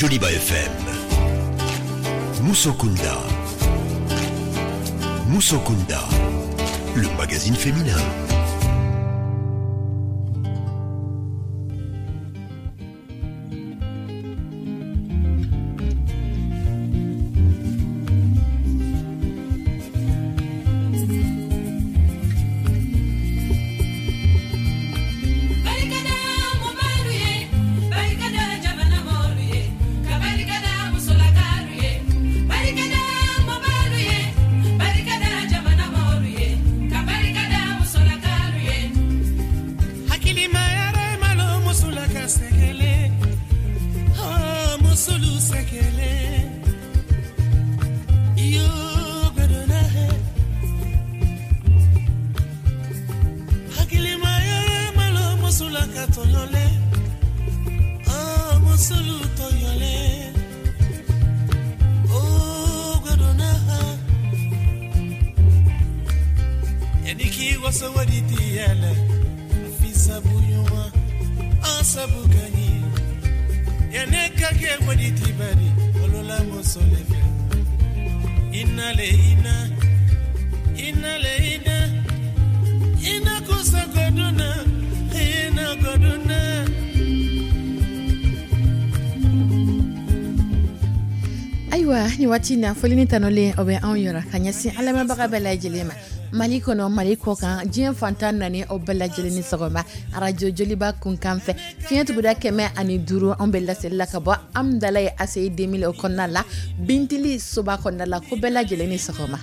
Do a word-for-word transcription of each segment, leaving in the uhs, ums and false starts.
Joliba F M. Musokunda. Musokunda, le magazine féminin. Ayiwa, ni waati na, foli ni tanolen o bɛ anw yɔrɔ ka ɲɛsin an lamɛnbaga bɛɛ lajɛlen ma, Mali kɔnɔ, Mali kɔ kan, diɲɛ fantan naani, aw bɛɛ lajɛlen ni sɔgɔma. Arajo Joliba kunkan fɛ, fiɲɛ tuguda kɛmɛ ani duuru, anw bɛ laseli la ka bɔ Amdala ye A C I deux mille o kɔnɔna la, Bintili soba kɔnɔna la. Ko bɛɛ lajɛlen ni sɔgɔma.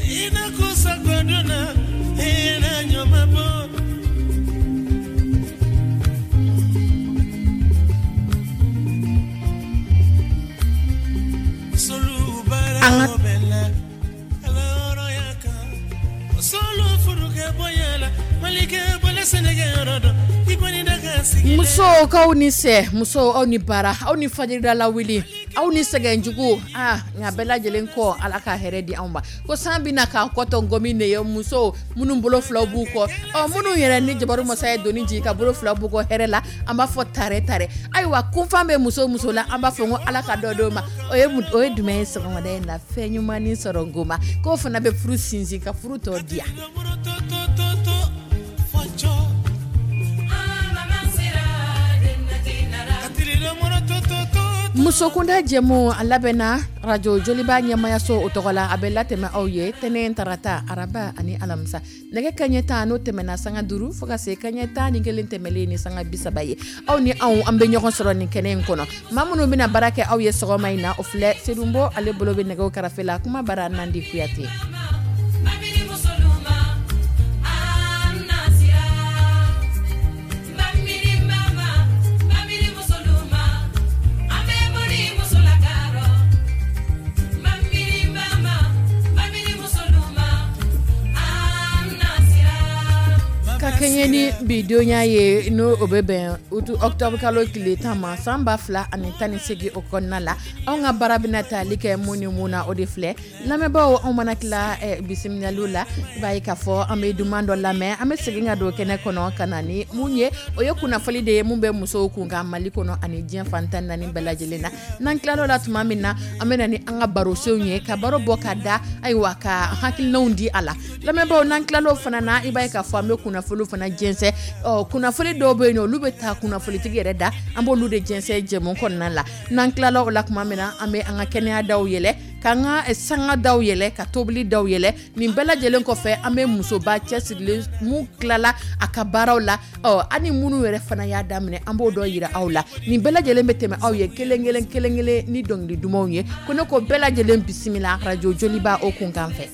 Ina kusa goduna ina nyoma bo. Solu bara An ka bella ala hɔrɔnya kan solu furukɛ bonya la malikɛ bɔlɛ sɛnɛkɛ yɔrɔ dɔn i kɔni da ka sigi. Musow k'aw ni sɛ, musow, aw ni baara, aw ni fajirida wuli, aw ni sɛgɛnjugu. Aa, nka bɛɛ lajɛlen kɔ, Ala ka hɛrɛ di anw ma. Ko san bɛna k'an kɔtɔ ngɔmi de ye. Musow minnu bolo filaw b'u kɔ, ɔ minnu yɛrɛ ni jabaru masa ye doni jigin ka bolo fila b'u kɔ hɛrɛ la, an b'a fɔ tare tare. Ayiwa, kunfan bɛ muso muso la, an b'a fɔ ko Ala ka dɔ d'o ma. O ye mun- o ye jumɛn ye? Sɔgɔmada in na, fɛn ɲuman ni sɔrɔ ngoma k'o fana bɛ furu sinsin, ka furu tɔ diya. To to to to fɔjɔ katirila to to to. Musokunda jɛmu, a labɛnna Radio Joliba ɲɛmayaso o tɔgɔ la. A bɛ latɛmɛ aw ye tɛnɛ, tarata, araba ani alamisa, nɛgɛ kaɲɛ tan n'o tɛmɛna sanga duuru fo ka se kaɲɛ tan ni kelen tɛmɛlen ni sanga bi saba ye, aw ni anw, an bɛ ɲɔgɔn sɔrɔ nin kɛnɛ in kɔnɔ. Maa minnu bɛna baara kɛ aw ye sɔgɔma in na, o filɛ: Sedunbo, ale bolo bɛ nɛgɛw karafe la, kuma bara Nandi Kuyate. Ka kɛɲɛ ni bi donya ye, n'o o bɛ bɛn utu octobre kalo tile tan ma, san ba fila ani tan ni seegin o kɔnɔna la, anw ka baara bɛna tali kɛ mun ni mun na, o de filɛ. Lamɛnbaaw, anw mana tila eh, bisimilaliw la, i b'a ye k'a fɔ an bɛ duman dɔ lamɛn. An bɛ segin ka don kɛnɛ kɔnɔ ka na ni mun ye, o ye kunnafoli de ye mun bɛ musow kun kan Mali kɔnɔ ani diɲɛ fan tan naani bɛɛ lajɛlen na. N'an tilal'o la tuma min na, an bɛ na ni an ka barosenw ye, ka baro bɔ ka da, ayiwa, ka hakilinaw di a la. Lamɛnbaaw, n'an tilal'o fana na, i b'a ye k'a fɔ an bɛ kunnafoliw fana jɛnsɛn. Ɔ kunnafoli dɔw bɛ yen nɔ, olu bɛ taa kunnafolitigi yɛrɛ da, an b'olu de jɛnsɛn jɛmu kɔnɔna la. N'an tilala o la tuma min na, an bɛ an ka kɛnɛya daw yɛlɛ, k'an ka eh, sanga daw yɛlɛ, ka tobili daw yɛlɛ. Nin bɛɛ lajɛlen kɔfɛ, an bɛ musoba cɛsirilen mun tilala a ka baaraw la, ɔ ani minnu yɛrɛ fana y'a daminɛ, an b'o dɔ yira aw la. Nin bɛɛ lajɛlen bɛ tɛmɛ aw ye kelen kelen kelen kelen ni dɔnkili dumanw ye. Ko ne ko bɛɛ lajɛlen bisimila Radio Joliba o kunkan fɛ.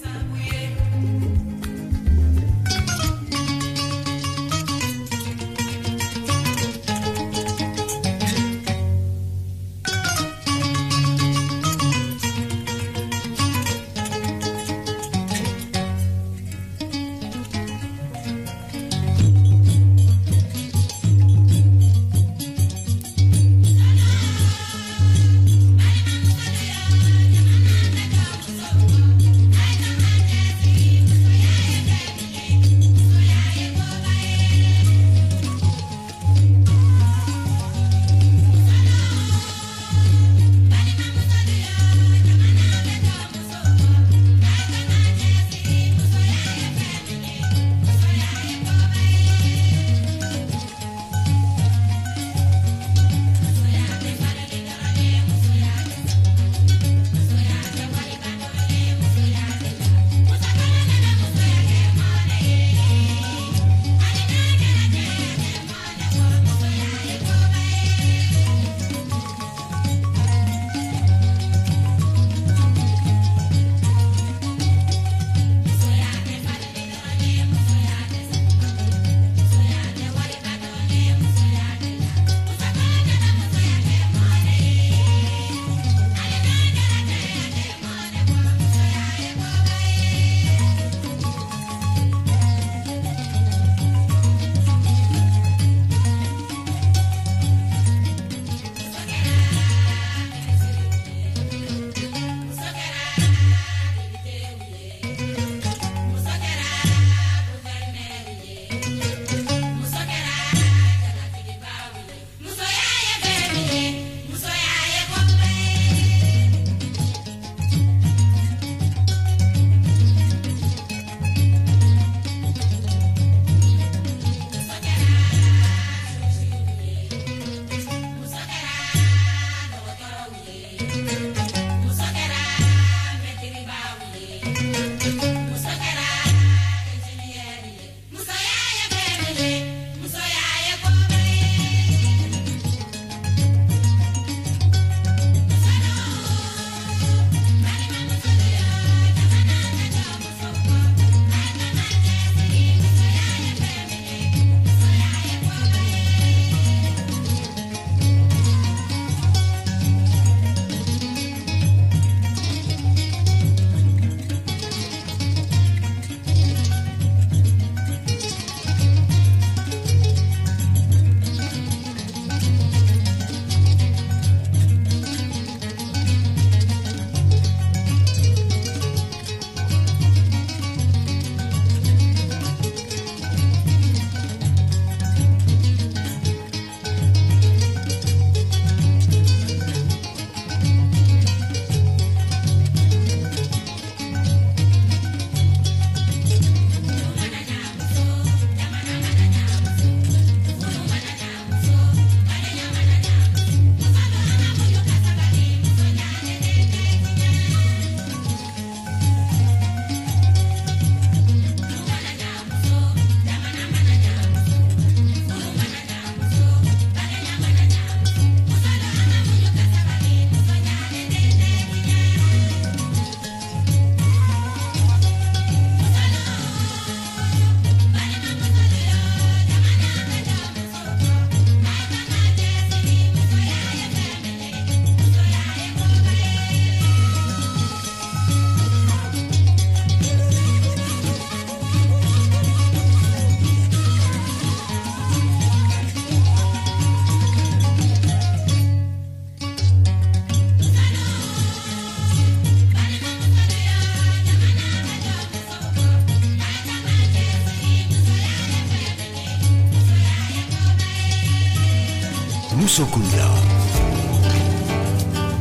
Musokunda.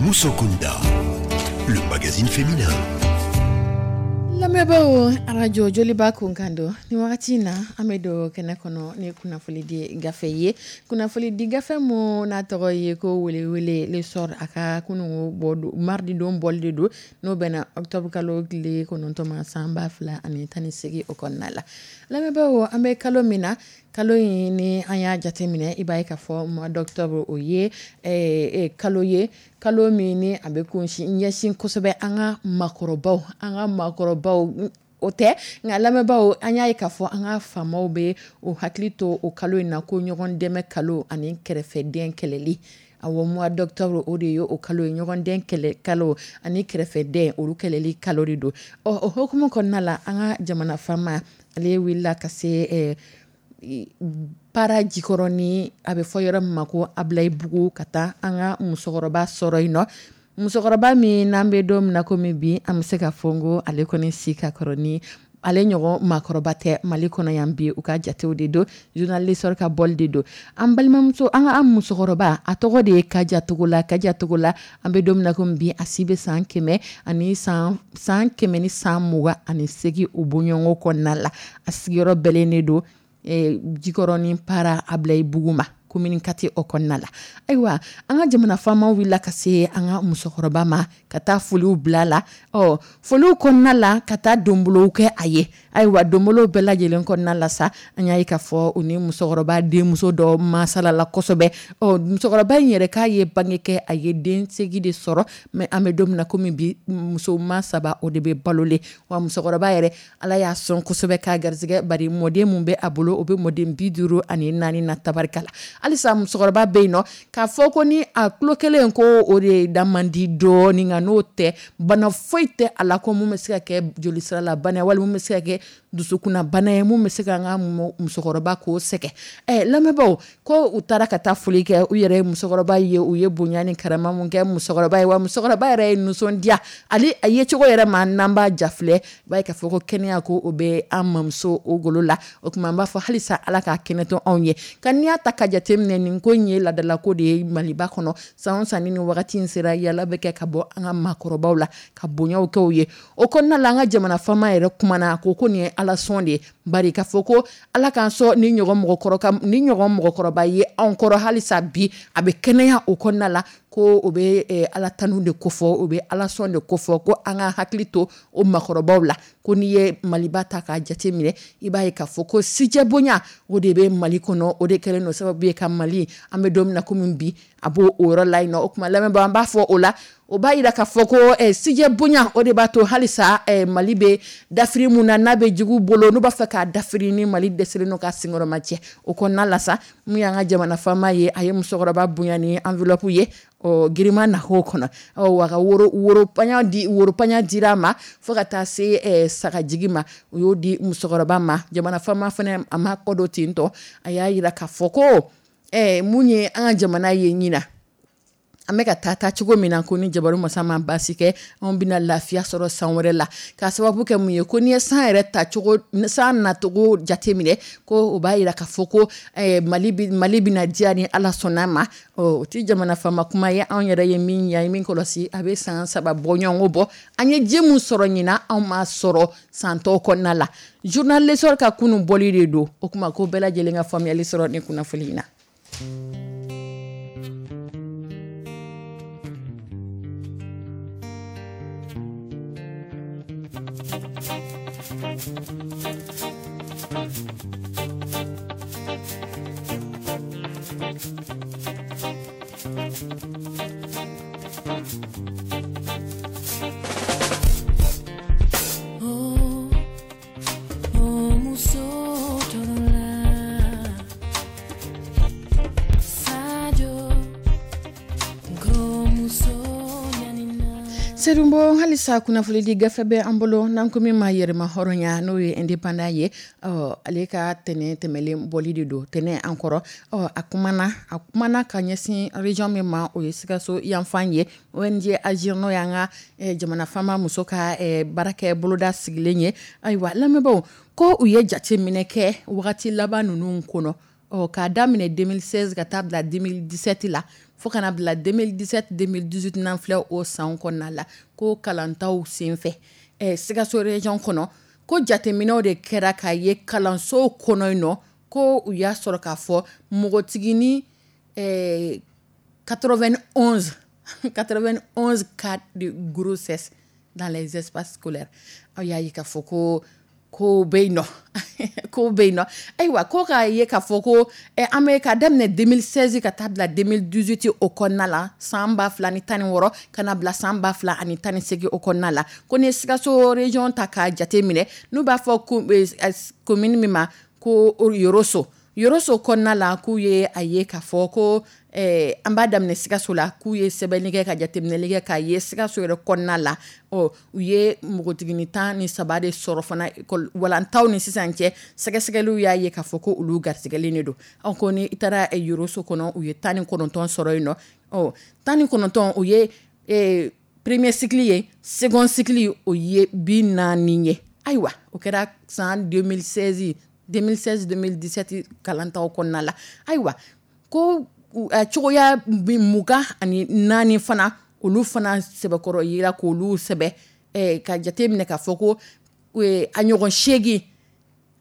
Musokunda, le magazine féminin. Lamɛnbaaw, arajo Joliba kunkan don nin wagati in na. An bɛ don kɛnɛ kɔnɔ ni kunnafoni di gafe ye, kunnafoni di gafe mun n'a tɔgɔ ye ko welewele, L'Essor. A ka kununko bɔ mardi don bɔli de don, n'o bɛnna octobre kalo tile kɔnɔntɔn ma, san ba fila ani tan ni seegin o kɔnɔna la. Lamɛnbaaw, an bɛ kalo min na, kalo in ni an y'a jateminɛ, i b'a ye k'a fɔ mois d'octobre, o ye kalo ye, kalo min ni a bɛ kunsin ɲɛsin kosɛbɛ an ka maakɔrɔbaw an ka maakɔrɔbaw O tɛ nka, lamɛnbaaw, an y'a ye k'a fɔ an ka faamaw bɛ o hakili to o kalo in na ko ɲɔgɔn dɛmɛ kalo ani kɛrɛfɛden kɛlɛli. Awɔ, mois d'octobre, o de ye o kalo ye, ɲɔgɔnden kɛlɛ kalo ani kɛrɛfɛden, olu kɛlɛli kalo de don. Ɔ, o hukumu kɔnɔna la, an ka jamana faama, ale wulila ka se Para Jikɔrɔni, a bɛ fɔ yɔrɔ min ma ko Abilayibugu, ka taa an ka musokɔrɔba sɔrɔ yen nɔ, musokɔrɔba min n'an bɛ don min na komi bi, an bɛ se ka fɔ n ko ale kɔni si ka kɔrɔ ni ale ɲɔgɔn maakɔrɔba tɛ Mali kɔnɔ yan bi. U ka jatew de don, journal L'Essor ka bɔli de don. An balimamuso, an ka musokɔrɔba, a tɔgɔ de ye Kaja Togola. Kaja Togola, an bɛ don min na komi bi, a si bɛ san kɛmɛ ani san san kɛmɛ ni san mugan ani seegin o bɔɲɔgɔnko kɔnɔna la. A sigiyɔrɔ bɛnnen de don Jikɔrɔni Para, Abilayibugu ma, commune quatre o kɔnɔna la. Ayiwa, an ka jamana faamaw wulila ka se an ka musokɔrɔba ma ka taa foliw bila la. Ɔ, foliw kɔnɔna la, ka taa donbolow kɛ a ye. Ayiwa, donbolow bɛɛ lajɛlen kɔnɔna la sa, an y'a ye k'a fɔ u ni musokɔrɔba denmuso dɔ masala la kosɛbɛ. Ɔ, musokɔrɔba in yɛrɛ k'a ye bange kɛ, a ye den segin de sɔrɔ, mais an bɛ don min na komi bi, musoman saba o de bɛ balolen. Wa musokɔrɔba yɛrɛ, Ala y'a sɔn kosɛbɛ k'a garisɛgɛ, bari mɔden mun bɛ a bolo, o bɛ mɔden bi duuru ani naani na, tabarikala. Halisa musokɔrɔba bɛ yen nɔ k'a fɔ ko ni a tulo kelen ko o de da man di dɔɔnin, nka n'o tɛ, bana foyi tɛ a la ko mun bɛ se ka kɛ jolisira la bana walima mun bɛ se ka kɛ dusukunna bana ye, mun bɛ se ka an ka musokɔrɔba k'o sɛgɛn. Ɛ, lamɛnbaaw, ko u taara ka taa foli kɛ, u yɛrɛ ye musokɔrɔba ye, u ye bonya ni karama mun kɛ musokɔrɔba ye. Wa musokɔrɔba yɛrɛ ye nisɔndiya, ale a yecogo yɛrɛ ma, n'an b'a ja filɛ, i b'a ye k'a fɔ ko kɛnɛya ko o bɛ an mamuso o golo la. O tuma an b'a fɔ halisa Ala k'a kɛnɛ to anw ye. Ka n'i y'a ta ka jateminɛ, nin ko in ye ladalako de ye Maliba kɔnɔ. San o san ni nin wagati in sera, yala bɛ kɛ ka bɔ an ka maakɔrɔbaw la ka bonyaw kɛ u ye. O kɔnɔna la, an ka jamana faama yɛrɛ kumana, a ko ko nin ye Ala sɔn de ye, bari k'a fɔ ko Ala k'an sɔn ni ɲɔgɔn mɔgɔkɔrɔ ni ɲɔgɔn mɔgɔkɔrɔba ye anw kɔrɔ halisa bi, a bɛ kɛnɛya o kɔnɔna la. ko o bɛ eh, Ala tanu de kofɔ, o bɛ Ala sɔn de kofɔ, ko an ka hakili to o makɔrɔbaw la. Ko n'i ye Maliba ta k'a jate minɛ, i b'a ye k'a fɔ ko sijɛ bonya o de bɛ Mali kɔnɔ, o de kɛlen don sababu ye ka Mali, an bɛ don min na komi bi, a b'o o yɔrɔ la yen nɔ. O tuma lamɛnbaa, an b'a fɔ o la, o b'a yira k'a fɔ ko eh, sijɛ bonya o de b'a to halisa eh, Mali bɛ dafiri mun na, n'a bɛ jugu bolo, n'u b'a fɛ k'a dafiri, ni Mali dɛsɛlen don k'a senkɔrɔma cɛ o kɔnɔna la sa. Mun y'an ka jamana faama ye, a ye musokɔrɔba bonya ni enveloppe ye, ɔ girinman na k'o kɔnɔ, ɔ wa ka woro woro paɲa di, woro paɲa dira a ma fo ka taa se eh, sagajigi ma, u y'o di musokɔrɔba ma. Jamana faama fana, a ma kɔ don ten tɔ, a y'a yira k'a fɔ ko eh, mun ye an ka jamana ye ɲina, an bɛ ka taa taa cogo min na, ko ni jabaru masa ma baasi kɛ, anw bɛna lafiya sɔrɔ san wɛrɛ la, k'a sababu kɛ mun ye, ko n'i ye san yɛrɛ tacogo, san nacogo jateminɛ, ko o b'a yira k'a fɔ ko eh, Mali bi, Mali bɛna diya ni Ala sɔnna ma. Ɔ o tɛ jamana faama kuma ye, anw yɛrɛ ye min ye, an ye min kɔlɔsi, a bɛ san saba bɔ ɲɔgɔn bɔ, an ye ji mun sɔrɔ ɲinan, anw m'a sɔrɔ san tɔw kɔnɔna la. Journal L'Essor ka kunun bɔli de don. O kuma ko bɛɛ lajɛlen ka faamuyali sɔrɔ ni kunnafoni in na. Oh, oh, muso tɔɔrɔla. Sadio, ko muso ɲanina. Serumbo, halisa kunnafonidi gafe bɛ an bolo n'an ko min ma yɛrɛma hɔrɔnya, n'o ye indépendant ye. Ɔ ale ka tɛnɛ tɛmɛlen bɔli de don, tɛnɛ an kɔrɔ. Ɔ a kumana a kumana ka ɲɛsin région min ma, o ye Sikaso yanfan ye. O N G Agir, n'o y'an ka eh, jamana faama muso ka eh, baarakɛ boloda sigilen ye. Ayiwa lamɛnbaaw, ko u ye jateminɛ kɛ wagati laban ninnu kɔnɔ, ɔ k'a daminɛ deux mille seize ka taa bila deux mille dix-sept la, fo kana bila deux mille dix-sept deux mille dix-huit n'an filɛ o san kɔnɔna la, ko kalantaw senfɛ eh, Sikaso région kɔnɔ, ko jateminɛw de kɛra k'a ye kalansow kɔnɔ yen nɔ, ko u y'a sɔrɔ k'a fɔ npogotigini eh, quatre-vingt-onze quatre-vingt-onze cas de grossesse dans les espaces scolaires. Aw y'a ye k'a fɔ ko ko bɛ yen nɔ, ko bɛ yen nɔ. Ayiwa, ko k'a ye k'a fɔ ko eh, an bɛ ka daminɛ deux mille seize ka taa bila deux mille dix-huit o kɔnɔna la, san ba fila ni tan ni wɔɔrɔ ka na bila san ba fila ani tan ni seegin o kɔnɔna la, ko ni Sikaso région ta k'a jate minɛ, n'u b'a fɔ ko eh, commune min ma ko Yoroso, Yoroso kɔnɔna la, k'u ye a ye k'a fɔ ko eh, an b'a daminɛ Sikaso la, k'u ye sɛbɛnni kɛ ka jateminɛli kɛ k'a ye Sikaso yɛrɛ kɔnɔna la, ɔ u ye npogotigini tan ni saba de sɔrɔ fana école walantaw ni sisan cɛ, sɛgɛsɛgɛliw y'a ye k'a fɔ ko olu garisigɛlen de don. Ɔ ko ni i taara eh, Yoroso kɔnɔ, u ye tan ni kɔnɔntɔn sɔrɔ yen nɔ. Ɔ tan ni kɔnɔntɔn, o ye eh, premier cycle ye, second cycle o ye bi naani ye. Ayiwa, o kɛra san deux mille seize deux mille seize deux mille dix-sept kalantaw kɔnɔna la. Ayiwa, ko u- a cogoya bi mugan ani naani fana, olu fana sɛbɛkɔrɔ yira k'olu sɛbɛ eh, ka jate minɛ k'a fɔ ko eh, a ɲɔgɔn seegin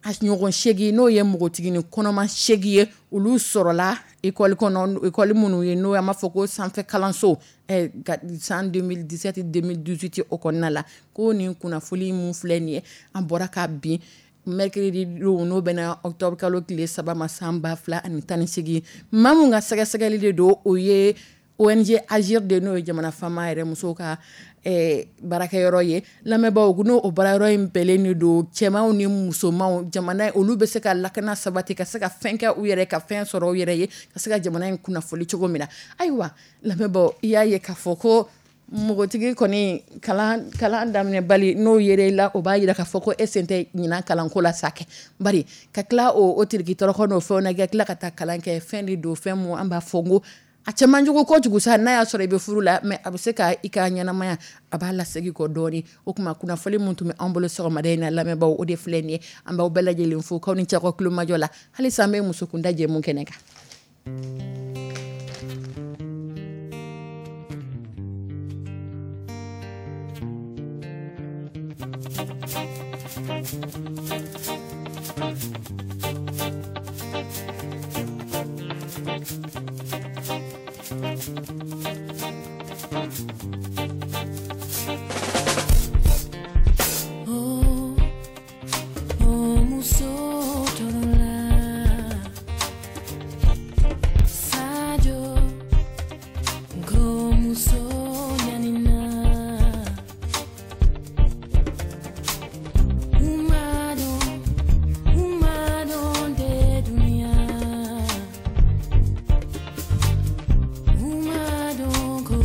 a ɲɔgɔn seegin, n'o ye npogotigini kɔnɔma seegin ye, olu sɔrɔla école kɔnɔ, école minnu ye n'o an b'a fɔ ko sanfɛ kalanso eh, ka san deux mille dix-sept deux mille dix-huit o kɔnɔna la. Ko nin kunnafoni mun filɛ nin ye, an bɔra ka bin mercredi don, n'o bɛna octobre kalo tile saba ma, san ba fila ani tan ni seegin. Maa mun ka sɛgɛsɛgɛli de don, o ye O N G Agir de, n'o ye jamana faama yɛrɛ musow ka eh, baarakɛyɔrɔ ye. Lamɛnbaaw, n'o o baarayɔrɔ in bɛlen de don cɛmanw ni musomanw, jamana olu bɛ se ka lakana sabati, ka se ka fɛn kɛ u yɛrɛ, ka fɛn sɔrɔ u yɛrɛ ye, ka se ka jamana in kunnafoli cogo min na. Ayiwa lamɛnbaaw, i y'a ye k'a fɔ ko npogotigi kɔni kalan kalan daminɛ bali, n'o yera i la, o b'a yira k'a fɔ ko e sen tɛ ɲinan kalanko la sa kɛ. Bari ka tila o o tiriki tɔrɔkɔ n'o fɛnw na, ka tila ka taa kalan kɛ, fɛn de don, fɛn mun an b'a fɔ n ko a cɛ man jugu kojugu sa, n'a y'a sɔrɔ i bɛ furu la, mais a bɛ se ka i ka ɲɛnamaya a b'a lasegin kɔ dɔɔni. O tuma kunnafoni mun tun bɛ an bolo sɔgɔmada in na, lamɛnbaaw, o de filɛ nin ye. An b'aw bɛɛ lajɛlen fo k'aw ni cɛ ka kulomajɔ la. Halisa an bɛ musokunda jɛmu kɛnɛ kan. Oh, oh, muso tɔɔrɔla. Sajo, ko muso ɲanina. U ma dɔn, u ma dɔn de dunia. U ma dɔn ko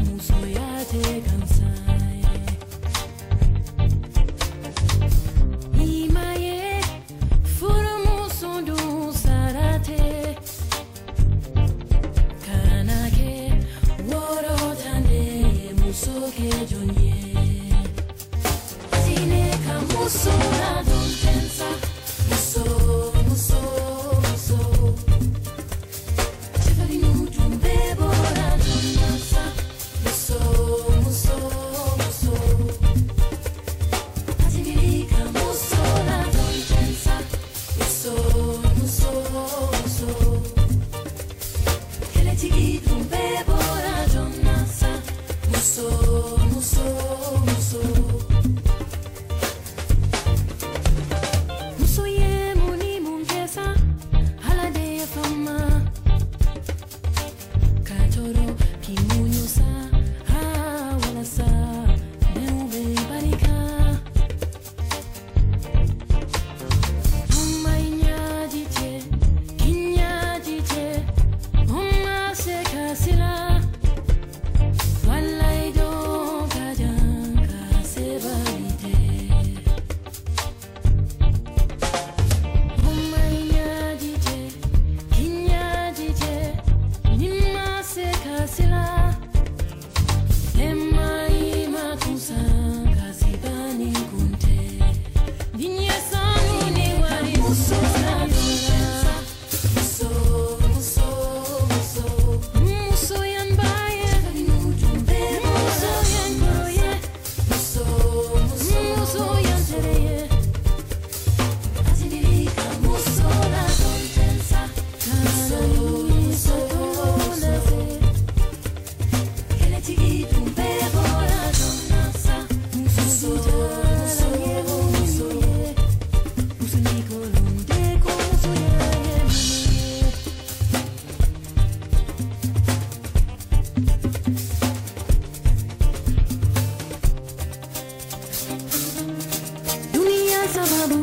musoya tɛ gansan ye. I ma ye furumuso dun sara tɛ. Kana kɛ woro tan de ye, muso kɛ jɔn ye. Diinɛ ka muso ladon ten sa. Muso, muso, muso. Cɛfarinw tun bɛɛ bɔra joona sa. Muso, muso, muso. Asigiri ka muso ladon ten sa. Muso, muso, muso. Kɛlɛtigi tun bɛɛ bɔra joona sa. Muso, muso, muso. Muso ye mun ni mun kɛ sa, Ala de ye fama. Ka tɔɔrɔ k'i muɲu sa, aa walasa denw bɛ barika. O ma i ɲɛji cɛ, k'i ɲɛji cɛ, o ma se ka sila. Walayi don ka jan ka sebali tɛ. O ma i ɲɛji cɛ, k'i ɲɛji cɛ, n'i ma se ka sila. E ma i ma kun san, kasi banni kun tɛ. Diɲɛ sanu ni wari muso ladon sa. Muso, muso, muso. Muso yan ba ye, muso yan kɔrɔ ye, muso, muso, muso yan tere ye. Asigiri ka muso ladon ten sa. Muso, muso, muso. Kɛlɛtigi tun bɛɛ bɔra joona sa. Muso, muso, muso. Muso ni kolon de ko musoya ye mun ye. Dunia sababu,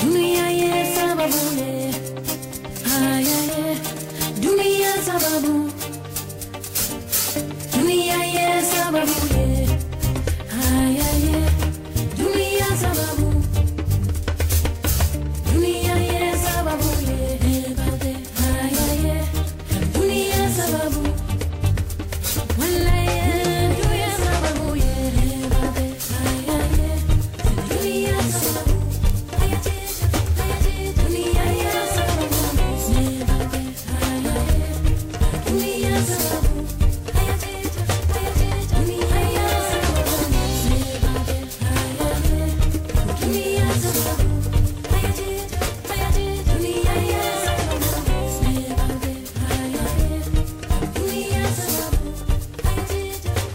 dunia ye sababu ye. Ay, ay, ay. Dunia sababu, dunia ye sababu ye. Ay, ay, ay. Dunia sababu, dunia ye sababu ye. Ay, ay, ay. Dunia sababu, wallahi, dunia sababu ye. Ay, ay, ay. Dunia sababu, ay, ay, ay. Dunia ye sababu, ay, ay, ay. Dunia sababu, ay, ay, ay. Dunia ye sababu, ay, ay, ay. Dunia sababu, ay, ay, ay. Dunia ye sababu, ay, ay, ay. Dunia sababu, ay, ay, ay.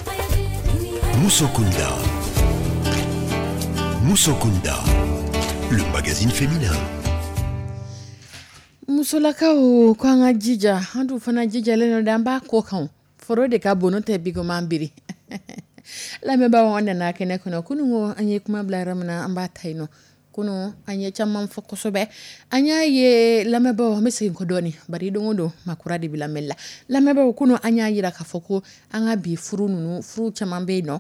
Dunia Moussokunda. Moussokunda, le magazine féminin. Musolakaw ko an ka jija, an dun fana jijalen don dɛ, an b'a ko kan o. Foro de ka bon, n'o tɛ bi ko man biri. Lamɛnbaaw, an nana kɛnɛ kɔnɔ kunun ko an ye kuma bila yɔrɔ min na, an b'a ta yen nɔ. Kunun an ye caman fɔ kosɛbɛ, an y'a ye lamɛnbaaw, an bɛ segin kɔ dɔɔni, bari don o don maa kura de bɛ lamɛnni la. Lamɛnbaaw, kunun an y'a yira k'a fɔ ko an ka bi furu ninnu, furu caman bɛ yen nɔ,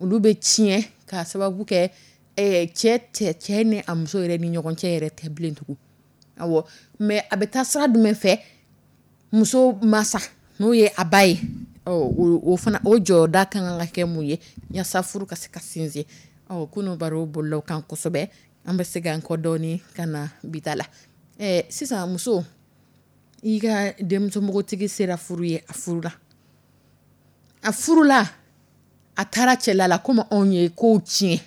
olu bɛ tiɲɛ k'a sababu kɛ eh, cɛ tɛ cɛ ni a muso yɛrɛ ni ɲɔgɔn cɛ yɛrɛ tɛ bilen tugun. Awɔ, mais a bɛ taa sira jumɛn fɛ? Muso masa n'o ye a ba ye, ɔ, o, o fana o jɔda ka kan ka kɛ mun ye yaasa furu ka se ka sinsin? Ɔ, kunun baro bolila o kan kosɛbɛ, an bɛ segin an kɔ dɔɔni ka na bi ta la. Ɛ, sisan muso, i ka denmuso npogotigi sera furu ye, a furula, a furula, a taara cɛla la, komi anw ye kow tiɲɛ,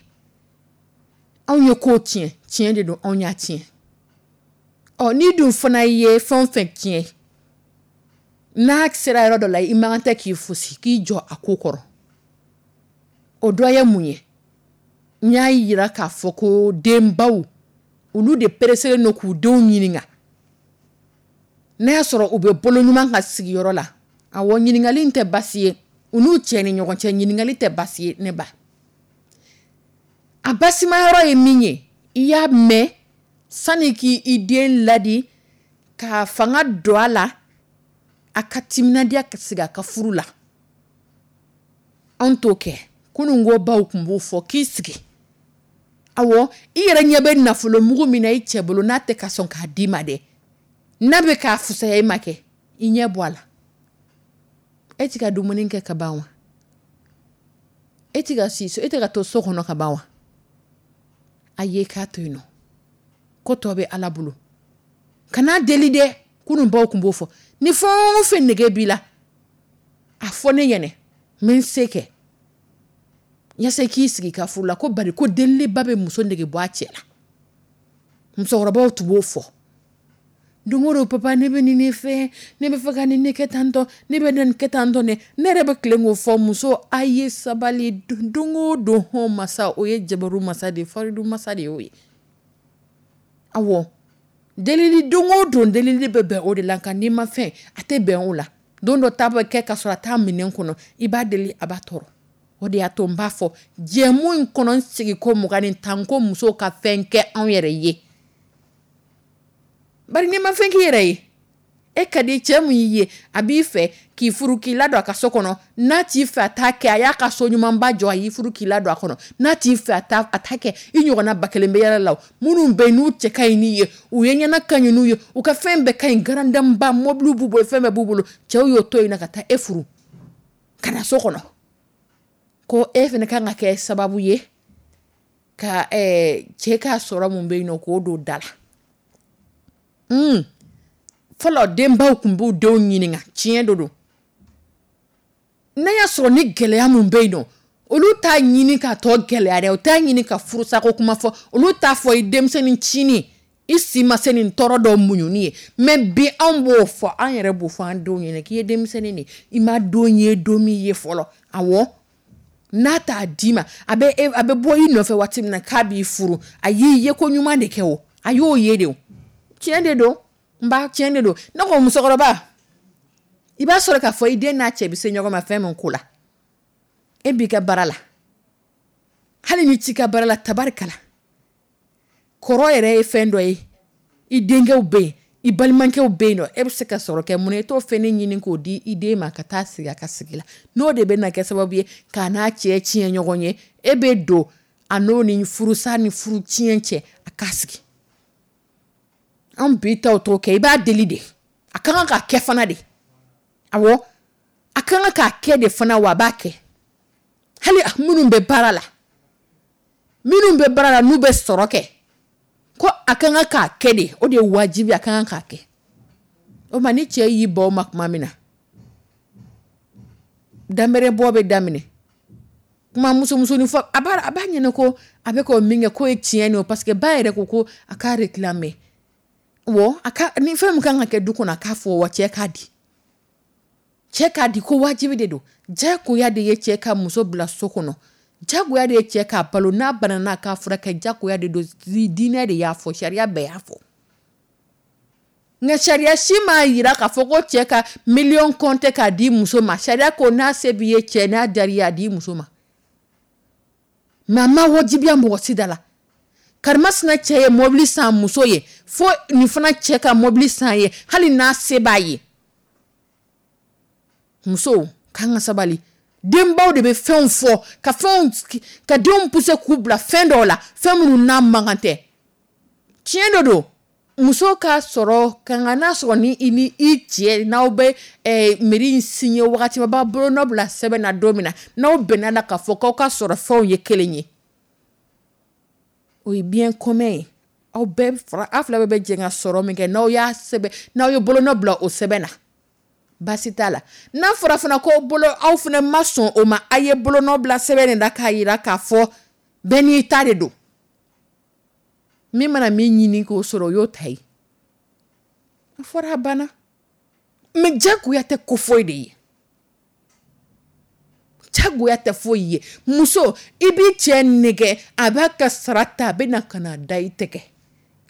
anw ye kow tiɲɛ, tiɲɛ de don, anw y'a tiɲɛ. Ɔ, n'i dun fana ye fɛn o fɛn tiɲɛ, N'a sera yɔrɔ dɔ la, i man kan tɛ k'i fosi, k'i jɔ a ko kɔrɔ. O dɔ ye mun ye? N y'a yira k'a fɔ ko denbaw, olu de pereselen don k'u denw ɲininka n'a y'a sɔrɔ u bɛ bolo ɲuman ka sigiyɔrɔ la. Awɔ, ɲininkali in tɛ basi ye u n'u cɛ ni ɲɔgɔn cɛ. Ɲininkali tɛ basi ye, ne ba. A basimayɔrɔ ye min ye, i y'a mɛn, sani k'i den ladi k'a fanga don a la, a ka timinadiya ka sigi a ka furu la, anw t'o kɛ. Kunun ko baw tun b'o fɔ k'i sigi. Awɔ, i yɛrɛ ɲɛ bɛ nafolo mugu min na i cɛ bolo, n'a tɛ ka sɔn k'a d'i ma dɛ, n'a bɛ k'a fisaya i ma kɛ, i ɲɛ bɔ a la. E ti ka dumuni kɛ ka ban wa? E ti ka si so, e tɛ ka to so kɔnɔ ka ban wa? A ye k'a to yen nɔ, ko tɔ bɛ Ala bolo, kan'a deli dɛ. Kunun baw tun b'o fɔ. Ni fɛn o fɛn nege b'i la, a fɔ ne ɲɛnɛ, n bɛ n se kɛ yasa k'i sigi ka furu la. Ko bari ko deliliba bɛ muso nege bɔ a cɛ la. Musokɔrɔbaw tun b'o fɔ don o don: "Papa, ne bɛ nin de fɛ, ne bɛ fɛ ka nin de kɛ tan tɔ, ne bɛ nin kɛ tan tɔ." Ne ne yɛrɛ bɛ tilen k'o fɔ: muso, a ye sabali don o don. Hɔn masa, o ye jabaru masa de ye, faridu masa de y'o ye. Awɔ, delili don o don, delili bɛ bɛn o de la. Nka n'i ma fɛn, a tɛ bɛn o la. Don dɔ ta bɛ kɛ ka sɔrɔ a t'a minɛn kɔnɔ, i b'a deli, a b'a tɔɔrɔ. O de y'a to n b'a fɔ jɛmu in kɔnɔ, n sigi ko mugan ni tan, ko musow ka fɛn kɛ anw yɛrɛ ye. Bari n'i ma fɛn k'i yɛrɛ ye, e ka di cɛ min y'i ye, a b'i fɛ k'i furu k'i ladon a ka so kɔnɔ. N'a t'i fɛ, a t'a kɛ. A y'a ka so ɲumanba jɔ, a y'i furu k'i ladon a kɔnɔ. N'a t'i fɛ, a t'a a t'a kɛ. I ɲɔgɔnna ba kelen bɛ yɛlɛ la, minnu bɛ yen n'u cɛ ka ɲi n'i ye, u ye ɲɛna ka ɲi n'u ye, u ka fɛn bɛɛ ka ɲi, garandanba mɔbiliw b'u bolo, fɛn bɛɛ b'u bolo. Cɛw y'o to yen na ka taa e furu ka na so kɔnɔ, ko e fana kan ka kɛ sababu ye ka ɛɛ cɛ ka sɔrɔ mun bɛ yen nɔ, k'o don da la. Mm. Fɔlɔ, denbaw tun b'u denw ɲininka. Tiɲɛ do don, n'a y'a sɔrɔ ni gɛlɛya mun bɛ yen nɔ, olu t'a ɲini k'a tɔ gɛlɛya dɛ, u t'a ɲini ka furusako kuma fɔ, olu t'a fɔ i denmisɛnnin cinin, i si ma se nin tɔɔrɔ dɔw muɲuni ye. Mɛ bi, anw b'o fɔ, an yɛrɛ b'o fɔ an denw ɲɛna k'i ye denmisɛnnin de, i ma don ye don min ye fɔlɔ. Awɔ, n'a t'a d'i ma, a bɛ a bɛ bɔ i nɔfɛ waati min na k'a b'i furu, a y'i ye ko ɲuman de kɛ o, a y'o ye de o. Tiɲɛ de don, n ba, tiɲɛ de don. Ne ko musokɔrɔba, i b'a sɔrɔ k'a fɔ i den n'a cɛ bɛ se ɲɔgɔn ma fɛn min ko la, e b'i ka baara la, hali ni t'i ka baara la, tabarikala, kɔrɔ yɛrɛ ye fɛn dɔ ye. I denkɛw bɛ yen, i balimakɛw bɛ yen nɔ, e bɛ se ka sɔrɔ kɛ mun ye? E t'o fɛn ɲini k'o di i den ma ka taa sigi a ka sigi la. N'o de bɛ na kɛ sababu ye k'a n'a cɛ tiɲɛ ɲɔgɔn ye, e bɛ don a n'o ni furusa ni furu tiɲɛ cɛ, a k'a sigi. An bi taw t'o kɛ. I b'a deli de, a ka kan ka kɛ fana de. Awɔ, a ka kan k'a kɛ de fana, wa a b'a kɛ. Hali minnu bɛ baara la, minnu bɛ baara la, n'u bɛ sɔrɔ kɛ, ko a ka kan k'a kɛ de, o de ye wajibi, a ka kan k'a kɛ. O ma, ni cɛ y'i bɔ o ma tuma min na, danbɛrɛ bɔ bɛ daminɛ, kuma musomusonin fɔ, a b'a a b'a ɲɛna ko a bɛ k'o min kɛ k'o ye tiɲɛ de ye, parce que ba yɛrɛ ko ko a k'a réclamer wɔ, a ka ni fɛn min kan ka kɛ du kɔnɔ, a k'a fɔ wa cɛ k'a di, cɛ k'a di, ko wajibi de don. Jagoya de ye cɛ ka muso bila so kɔnɔ, jagoya de ye cɛ k'a balo, n'a banana n'a k'a furakɛ, jagoya de don. Diinɛ de y'a fɔ, sariya bɛɛ y'a fɔ. Nka sariya si m'a yira k'a fɔ ko cɛ ka miliyɔn kɔnte k'a di muso ma. Sariya ko n'a se b'i ye cɛ, n'a diyara i ye, a di muso ma. Mɛ a ma wajibiya mɔgɔ si da la. Karimasina cɛ ye mɔbili san muso ye, fo nin fana cɛ ka mɔbili san ye, hali n'a se b'a ye. Musow k'an ka sabali. Denbaw de bɛ fɛnw fɔ ka fɛnw ka denw pousser k'u bila fɛn dɔw la, fɛn minnu n'a man kan tɛ. Tiɲɛ dɔ don, muso ka sɔrɔ ka nka n'a sɔrɔ ni i ni i cɛ n'aw bɛ eh, mairie in signé wagati min, a b'a bolonɔ bila sɛbɛn na don min na, n'aw bɛnna la k'a fɔ k'aw ka sɔrɔ fɛnw ye kelen ye, o ye bien commun ye. Aw bɛɛ fara, aw fila bɛɛ bɛ jɛ ka sɔrɔ min kɛ, n'aw y'a sɛbɛn, n'aw ye bolonɔ bila o sɛbɛn na, baasi t'a la. N'a fɔra fana ko bolo aw fana ma sɔn o ma, a ye bolonɔ bila sɛbɛn de la k'a yira k'a fɔ bɛɛ n'i ta de don. Min mana min ɲini k'o sɔrɔ, o y'o ta ye. A fɔra, a banna. Mais jagoya tɛ ko foyi de ye, jagoya tɛ foyi ye. Muso, i b'i cɛ nɛgɛ, a b'a ka sara ta, a bɛ na ka na da i tɛgɛ.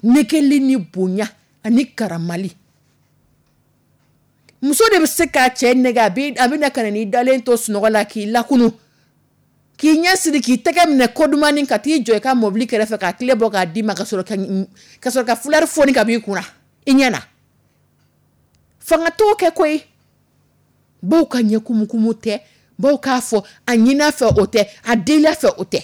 Nɛgɛli ni bonya ani karamali. Muso de bɛ se k'a cɛ nɛgɛ, a bɛ a bɛ na ka na n'i dalen to sunɔgɔ la, k'i lakunu, k'i ɲɛ siri, k'i tɛgɛ minɛ kodumani, ka t'i jɔ i ka mɔbili kɛrɛfɛ, k'a tile bɔ k'a d'i ma, ka sɔrɔ ka ka sɔrɔ ka fulari foni ka b'i kunna i ɲɛ na. Fanga t'o kɛ koyi. Baw ka ɲɛ kumukumu tɛ, baw k'a fɔ a ɲin'a fɛ o tɛ, a delila fɛ o tɛ.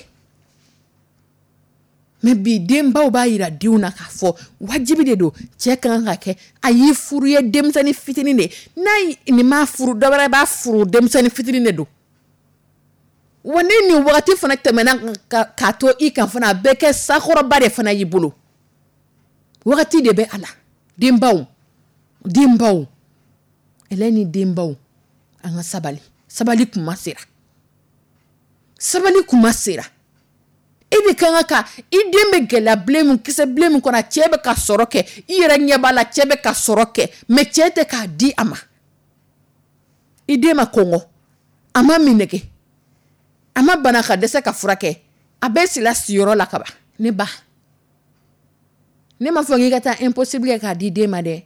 Mais bi, denbaw b'a yira denw na k'a fɔ wajibi de don, cɛ ka kan ka kɛ. A y'i furu ye denmisɛnnin fitinin de n'a nin m'a furu, dɔ wɛrɛ b'a furu, denmisɛnnin fitinin de don. Wa ni nin wagati fana tɛmɛna k'a to i kan fana, a bɛ kɛ sakɔrɔba de fana y'i bolo. Wagati de bɛ a la. Denbaw, denbaw, ɛlɛ ni denbaw, an ka sabali. Sabali kuma sera, sabali kuma sera. E de kan ka i den bɛ gɛlɛya bilen min, kisɛ bilen min kɔnɔ, a cɛ bɛ ka sɔrɔ kɛ, i yɛrɛ ɲɛ b'a la, cɛ bɛ ka sɔrɔ kɛ, mais cɛ tɛ k'a di a ma. I den ma kɔngɔ, a ma minɛgɛ, a ma bana ka dɛsɛ ka furakɛ, a bɛ sila siyɔrɔ la kaban. Ne ba, ne m'a fɔ k'i ka taa impossible kɛ k'a di den ma dɛ.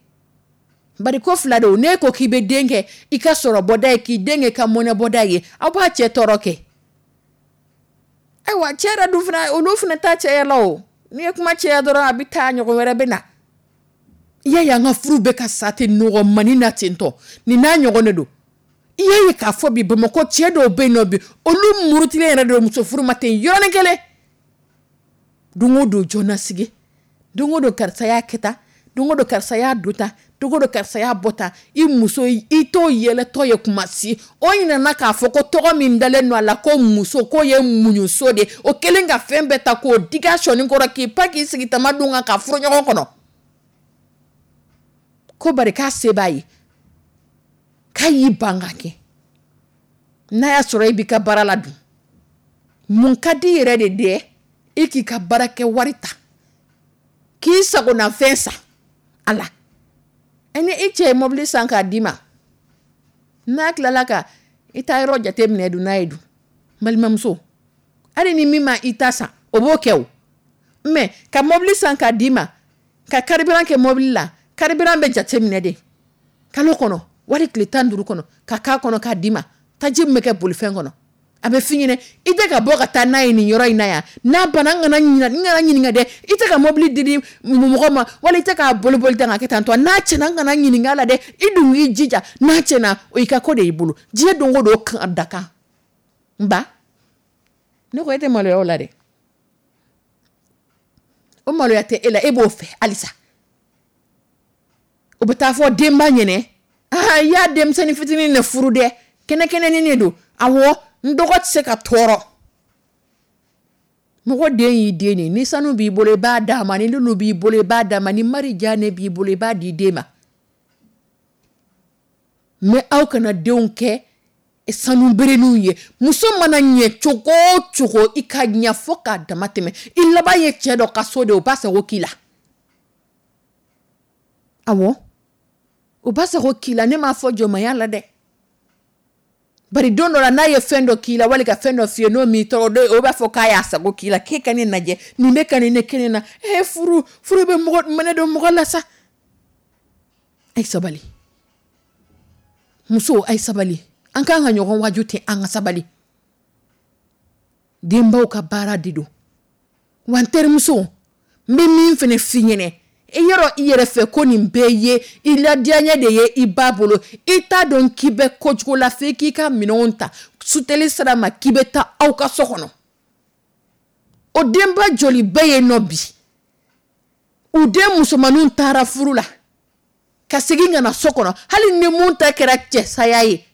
Bari ko fila don. Ne ko k'i bɛ den kɛ i ka sɔrɔ bɔda ye, k'i den kɛ i ka mɔnɛ bɔda ye, aw b'a cɛ tɔɔrɔ kɛ. Ayiwa, cɛ yɛrɛ dun fana, olu fana ta cɛya la o. N'i ye kuma cɛya dɔrɔn, a bɛ taa, ɲɔgɔn wɛrɛ bɛ na. I y'a ye, an ka furu bɛ ka sa ten nɔgɔmani na ten tɔ. Nin n'a ɲɔgɔn de don. I y'a ye k'a fɔ bi, Bamakɔ cɛ dɔw bɛ yen nɔ bi, olu murutilen yɛrɛ de don muso furu ma ten yɔrɔnin kelen. Don o don jɔnna sigi, don o don karisa y'a kɛ tan, don o don karisa y'a don tan, don o don karisa y'a bɔ tan. I muso, i t'o yɛlɛtɔ ye kuma si. O ɲinɛna k'a fɔ ko tɔgɔ min dalen don a la ko muso, k'o ye muɲuso de. O kɛlen ka fɛn bɛɛ ta k'o digi a sɔnin kɔrɔ, k'i pan k'i sigi tama dun kan ka furu ɲɔgɔn kɔnɔ, ko bari k'a se b'a ye, k'a y'i ban ka kɛ. N'a y'a sɔrɔ e b'i ka baara la dun, mun ka di yɛrɛ de dɛ? E k'i ka baara kɛ wari ta k'i sagonafɛn san a la. Ni i cɛ ye mobili san k'a d'i ma, n'a tilala ka i ta yɔrɔ jate minɛ dun, n'a ye dun, balimamuso, hali ni min ma i ta san, o b'o kɛ o. Mais ka mobili san k'a d'i ma, ka carburant kɛ mobili la, carburant bɛ jate minɛ de kalo kɔnɔ, wari tile tan duuru kɔnɔ, ka k'a kɔnɔ k'a d'i ma. Taji min bɛ kɛ bolifɛn kɔnɔ, a bɛ f'i ɲɛna i tɛ ka bɔ ka taa n'a ye nin yɔrɔ in na yan. N'a banna, n kana ɲina, n kana ɲininka dɛ. I tɛ ka mobili di di mɔgɔ ma, wala i tɛ k'a boli boli tan ka kɛ tan tɔ. N'a tiɲɛna, n kana ɲininka a la dɛ. I dun k'i jija, n'a tiɲɛna, o y'i ka ko de y'i bolo. Diɲɛ don o don kan da kan. N ba, ne ko e tɛ maloya o la dɛ. O maloya tɛ e la, e b'o fɛ halisa. O bɛ taa fɔ denba ɲɛnɛ, aa, i y'a denmisɛnnin fitinin de furu dɛ, kɛnɛkɛnɛnin de don. Awɔ, n dɔgɔ tɛ se ka tɔɔrɔ. Mɔgɔ den y'i den de. Ni sanu b'i bolo, i b'a d'a ma. Ni lulu b'i bolo, i b'a d'a ma. Ni marijanɛ b'i bolo, i b'a di den ma. Mais aw kana denw kɛ sanu bereninw ye. Muso mana ɲɛ cogo o cogo, i ka ɲɛ fo k'a dama tɛmɛ, i laban ye cɛ dɔ ka so de, o b'a sago k'i la. Awɔ, o b'a sago k'i la. Ne m'a fɔ jɔnmaya la dɛ. Bari don dɔ la, n'a ye fɛn dɔ k'i la, wali ka fɛn dɔ f'i ye, n'o m'i tɔɔrɔ, o b'a fɔ k'a y'a sago k'i la, k'e ka ne lajɛ, nin bɛ ka nin ne kɛ ne na. Ee, furu furu bɛ mɔgɔ mɛnɛ don mɔgɔ la sa. A ye sabali, muso, a ye sabali. An k'an ka ɲɔgɔn waju ten, an ka sabali. Denbaw ka baara de don. Wa n terimuso, n bɛ min fana f'i ɲɛnɛ, i yɔrɔ i yɛrɛ fɛ ko nin bɛɛ ye i ladiyaɲɛ de ye i ba bolo. I t'a dɔn k'i bɛ kojugu la f'e k'i ka minɛnw ta suteli sira ma, k'i bɛ taa aw ka so kɔnɔ. O denba joli bɛ yen nɔ bi, u den musomaninw taara furu la ka segin ka na so kɔnɔ, hali ni mun ta kɛra cɛsaya ye,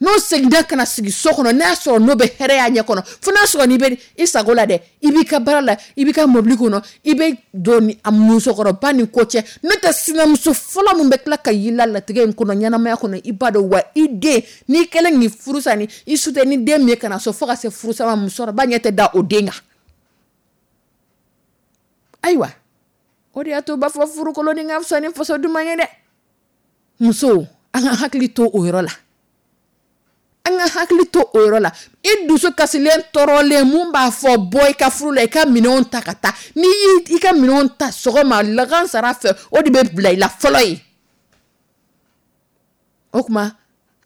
n'o seginna ka na sigi so kɔnɔ, n'a sɔrɔ n'o bɛ hɛrɛ y'a ɲɛ kɔnɔ, fo n'a sɔrɔ n'i bɛ i sago la dɛ, i b'i ka baara la, i b'i ka mobili kɔnɔ, i bɛ don ni a musokɔrɔba ni ko cɛ. N'o tɛ, sinamuso fɔlɔ min bɛ tila ka y'i la latigɛ in kɔnɔ, ɲɛnamaya kɔnɔ, i b'a dɔn wa, i den n'i kɛlen k'i furu sa ni i su tɛ ni den min ye ka na so, fo ka se furusa ma, musokɔrɔba ɲɛ tɛ da o den kan. Ayiwa, o de y'a to u b'a fɔ furu kolon ni ka fisa ni faso duman ye dɛ. Musow, an ka hakili to o yɔrɔ la, an ka hakili to o yɔrɔ la. I dusu kasilen, tɔɔrɔlen, mun b'a fɔ bɔ i ka furu la, i ka minɛnw ta ka taa. N'i y'i ka minɛnw ta sɔgɔma, lagansara fɛ, o de bɛ bila i la fɔlɔ ye. O tuma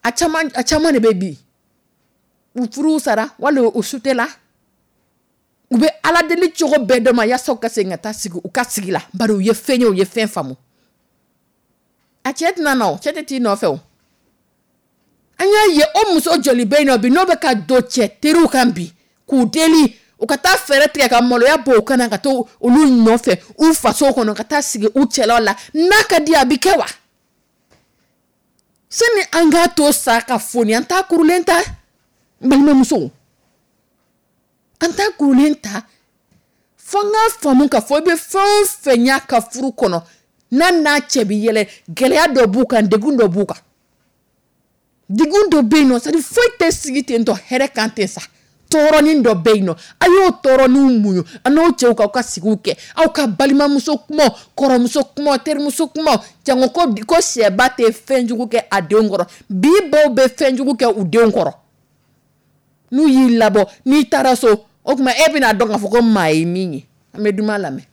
a caman a caman de bɛ bi, u furu sara wali u sutela, u bɛ Ala deli cogo bɛɛ dɔ ma yaasa u ka segin ka taa sigi u ka sigi la, bari u ye fɛn ye, u ye fɛn faamu. A cɛ tɛna na, o cɛ tɛ t'i nɔfɛ. O an y'a ye, o muso joli bɛ yen nɔ bi, n'o bɛ ka don cɛ teriw kan bi k'u deli u ka taa fɛɛrɛ tigɛ ka maloya bɔ u kana ka taa olu nɔfɛ u faso kɔnɔ, ka taa sigi u cɛlaw la. N'a ka di, a bɛ kɛ wa? Sani an k'a to sa ka foni, an t'a kurulen ta. N balimamusow, an t'a kurulen ta. Fo n k'a faamu k'a fɔ i bɛ fɛn o fɛn y'a ka furu kɔnɔ, n'a n'a cɛ bɛ yɛlɛ, gɛlɛya dɔ b'u kan, degun dɔ b'u kan, degun dɔ bɛ yen nɔ. C'est à dire, foyi tɛ sigi ten tɔ hɛrɛ kan ten sa, tɔɔrɔnin dɔ bɛ yen nɔ. A y'o tɔɔrɔninw muɲu a n'o cɛw k'aw ka sigiw kɛ, aw ka balimamuso kumaw, kɔrɔmuso kumaw, terimuso kumaw. Jango ko ko sɛba tɛ fɛn jugu kɛ a denw kɔrɔ. Bi baw bɛ fɛn jugu kɛ u denw kɔrɔ. N'u y'i labɔ, n'i taara so, o tuma e bɛna dɔn k'a fɔ ko maa ye min ye. An bɛ duman lamɛn.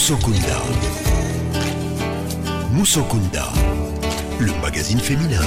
Musokunda. Musokunda, le magazine féminin.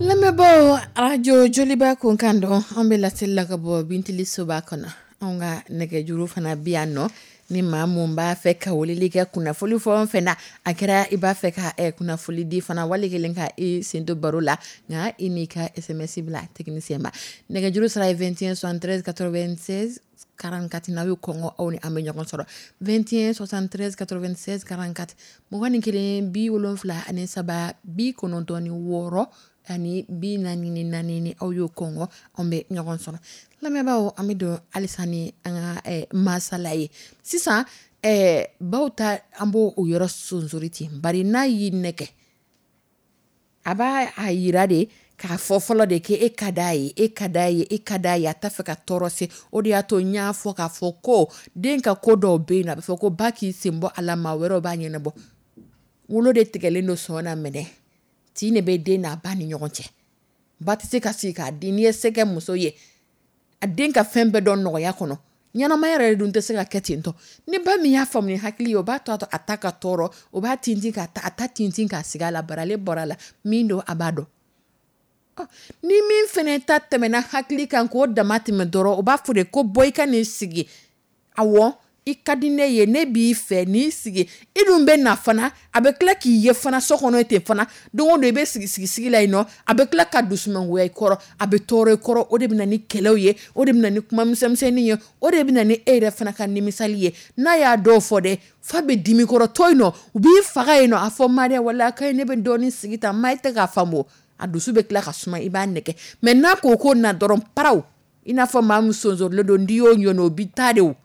Lamɛnbaaw, arajo Joliba kunkan dɔn, an bɛ laseli la ka bɔ Bintili soba kɔnɔ. Anw ka nɛgɛjuru fana bi yan nɔ, ni maa mun b'a fɛ ka weleli kɛ kunnafoni fɛn o fɛn na, a kɛra i b'a fɛ ka eh, kunnafoni di fana, wali kelen ka i sen don baro la, nka i n'i ka S M S bila technicien ma. Nɛgɛjuru sira ye vingt et un soixante-treize quatre-vingt-seize quarante-quatre. N'aw y'o kɔngɔ, aw ni an bɛ ɲɔgɔn sɔrɔ vingt et un soixante-treize quatre-vingt-seize quarante-quatre, mugan ni kelen bi wolonfila ani saba bi kɔnɔntɔn ni wɔɔrɔ ani bi naani ni naani. Ni aw y'o kɔngɔ, an bɛ ɲɔgɔn sɔrɔ. Lamɛnbaaw, an bɛ don halisa ni an ka eh, masala ye sisan. eh, baw ta, an b'o o yɔrɔ sonsori ten, bari n'a y'i nɛgɛ, a b'a a yira de k'a fɔ fɔlɔ de k'e ka d'a ye, e ka d'a ye, e ka d'a ye, a t'a fɛ ka tɔɔrɔ se. O de y'a to n y'a fɔ k'a fɔ ko den ka ko dɔw bɛ yen nɔ, a bɛ fɔ ko ba k'i sen bɔ a la, maa wɛrɛw b'a ɲɛnabɔ. Wolo de tigɛlen don sɔn na minɛ tin de bɛ den n'a ba ni ɲɔgɔn cɛ. Ba tɛ se ka sigi k'a di. N'i ye se kɛ muso ye, a den ka fɛn bɛɛ dɔn nɔgɔya kɔnɔ, ɲɛnamaya yɛrɛ dun tɛ se ka kɛ ten tɔ. Ni ba min y'a faamu ni hakili ye, o b'a to a ta ka tɔɔrɔ, o b'a tintin ka ta, a ta tintin k'a sigi a la, bari ale bɔra a la min don, a b'a dɔn. Ni min fɛnɛ ta tɛmɛna hakili kan k'o dama tɛmɛ dɔrɔn, o b'a fɔ de ko bɔ i ka nin sigi. Awɔ, i ka di ne ye, ne b'i fɛ, n'i sigi, i dun bɛ na fana, a bɛ tila k'i ye fana so kɔnɔ ten fana. Don o don i bɛ sigi sigi sigi la yen nɔ, a bɛ tila ka dusumangoya i kɔrɔ, a bɛ tɔɔrɔ i kɔrɔ. O de bɛ na ni kɛlɛw ye, o de bɛ na ni kuma misɛnmisɛnnin ye, o de bɛ na ni e yɛrɛ fana ka nimisali ye. N'a y'a dɔw fɔ dɛ, fa bɛ dimi kɔrɔ to yen nɔ, u b'i faga yen nɔ. A fɔ ma dɛ, wala a ka ɲi, ne bɛ dɔɔnin sigi tan, ma e tɛ k'a faamu. A dusu bɛ tila ka suma, i b'a nɛgɛ. Mɛ n'a ko ko na dɔrɔn, paraw, i n'a fɔ maa min sonsorilen don, n'i y'o ɲɔni, o bɛ taa de. O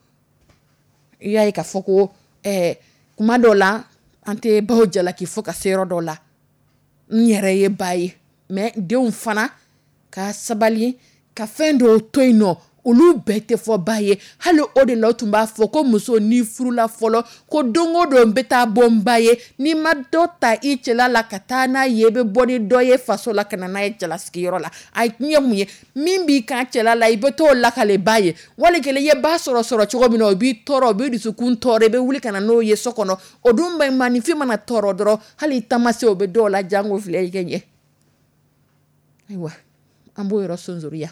i y'a ye k'a fɔ ko ɛɛ kuma dɔw la, an tɛ baw jalaki fo ka se yɔrɔ dɔw la. N yɛrɛ ye ba ye, mɛ denw fana ka sabali ka fɛn dɔw to yen nɔ, olu bɛɛ tɛ fɔ ba ye. Hali o de la, o tun b'a fɔ ko muso n'i furula fɔlɔ, ko don o don n bɛ taa bɔ n ba ye. N'i ma dɔ ta i cɛla la ka taa n'a ye, i bɛ bɔ ni dɔ ye faso la ka na n'a ye cɛlasigiyɔrɔ la. A kun ye mun ye? Min b'i kan cɛla la, i bɛ t'o lakale ba ye. Wali kelen i ye ba sɔrɔ sɔrɔ cogo min na, o b'i tɔɔrɔ, o b'i dusukun tɔɔrɔ, i bɛ wuli ka na n'o ye so kɔnɔ. O dun bɛ maaninfin mana tɔɔrɔ dɔrɔn, hali i taama se o bɛ dɔw la, jango filɛ i kɛ ɲɛ. Ayiwa, an b'o yɔrɔ sonsoriya.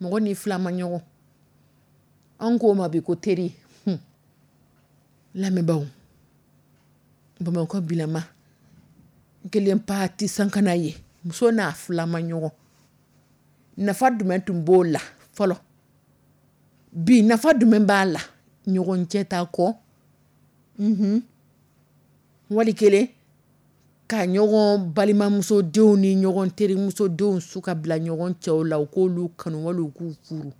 Mɔgɔ ni fila ma ɲɔgɔn, an k'o ma bi ko teri. Lamɛnbaaw, Bamakɔ bilama kelen pa ti sankana ye, muso n'a fila ma ɲɔgɔn, nafa jumɛn tun b'o la fɔlɔ? Bi, nafa jumɛn b'a la? Ɲɔgɔn cɛ ta kɔ, unhun, wali kelen ka ɲɔgɔn balimamusodenw ni ɲɔgɔn terimusodenw su ka bila ɲɔgɔn cɛw la, u k'olu kanu wali u k'u furu,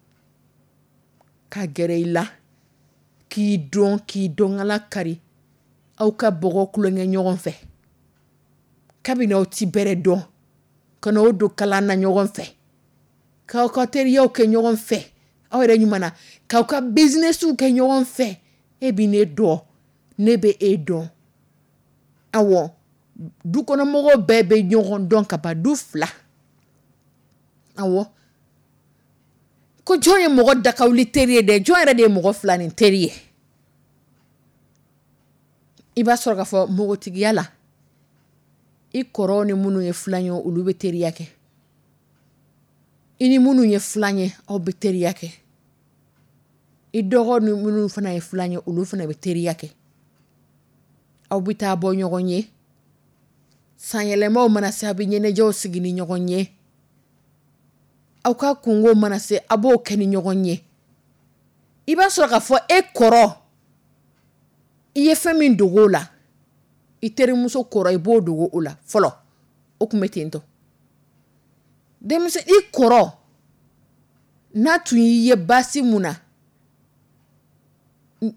ka gɛrɛ i la k'i dɔn, k'i dɔnkala kari, aw ka bɔgɔ tulonkɛ ɲɔgɔn fɛ kabini aw ti bɛrɛ dɔn, ka n'aw don kalan na ɲɔgɔn fɛ, k'aw ka teriyaw kɛ ɲɔgɔn fɛ, aw yɛrɛ ɲuman na, k'aw ka businessw kɛ ɲɔgɔn fɛ. E bɛ ne dɔn, ne bɛ e dɔn. Awɔ, dukɔnɔmɔgɔw bɛɛ bɛ ɲɔgɔn dɔn ka ban, du fila. Awɔ, ko jɔn ye mɔgɔ dakawuli teri ye dɛ? Jɔn yɛrɛ de ye mɔgɔ fila ni teri ye? I b'a sɔrɔ k'a fɔ npogotigiya la, i kɔrɔw ni minnu ye filan ye, olu bɛ teriya kɛ. I ni minnu ye filan ye, aw bɛ teriya kɛ. I dɔgɔ ni minnu fana ye filan ye, olu fana bɛ teriya kɛ. Aw bɛ taa bɔ ɲɔgɔn ye, sanyɛlɛmaw mana se, a bɛ ɲɛnajɛw sigi ni ɲɔgɔn ye. Aw ka kungo mana se, a b'o kɛ ni ɲɔgɔn ye. I b'a sɔrɔ k'a fɔ e kɔrɔ, i ye fɛn min dogo o la, i terimuso kɔrɔ, i b'o dogo o la fɔlɔ. O tun bɛ ten tɔ. Denmisɛn, i kɔrɔ n'a tun y'i ye baasi mun na,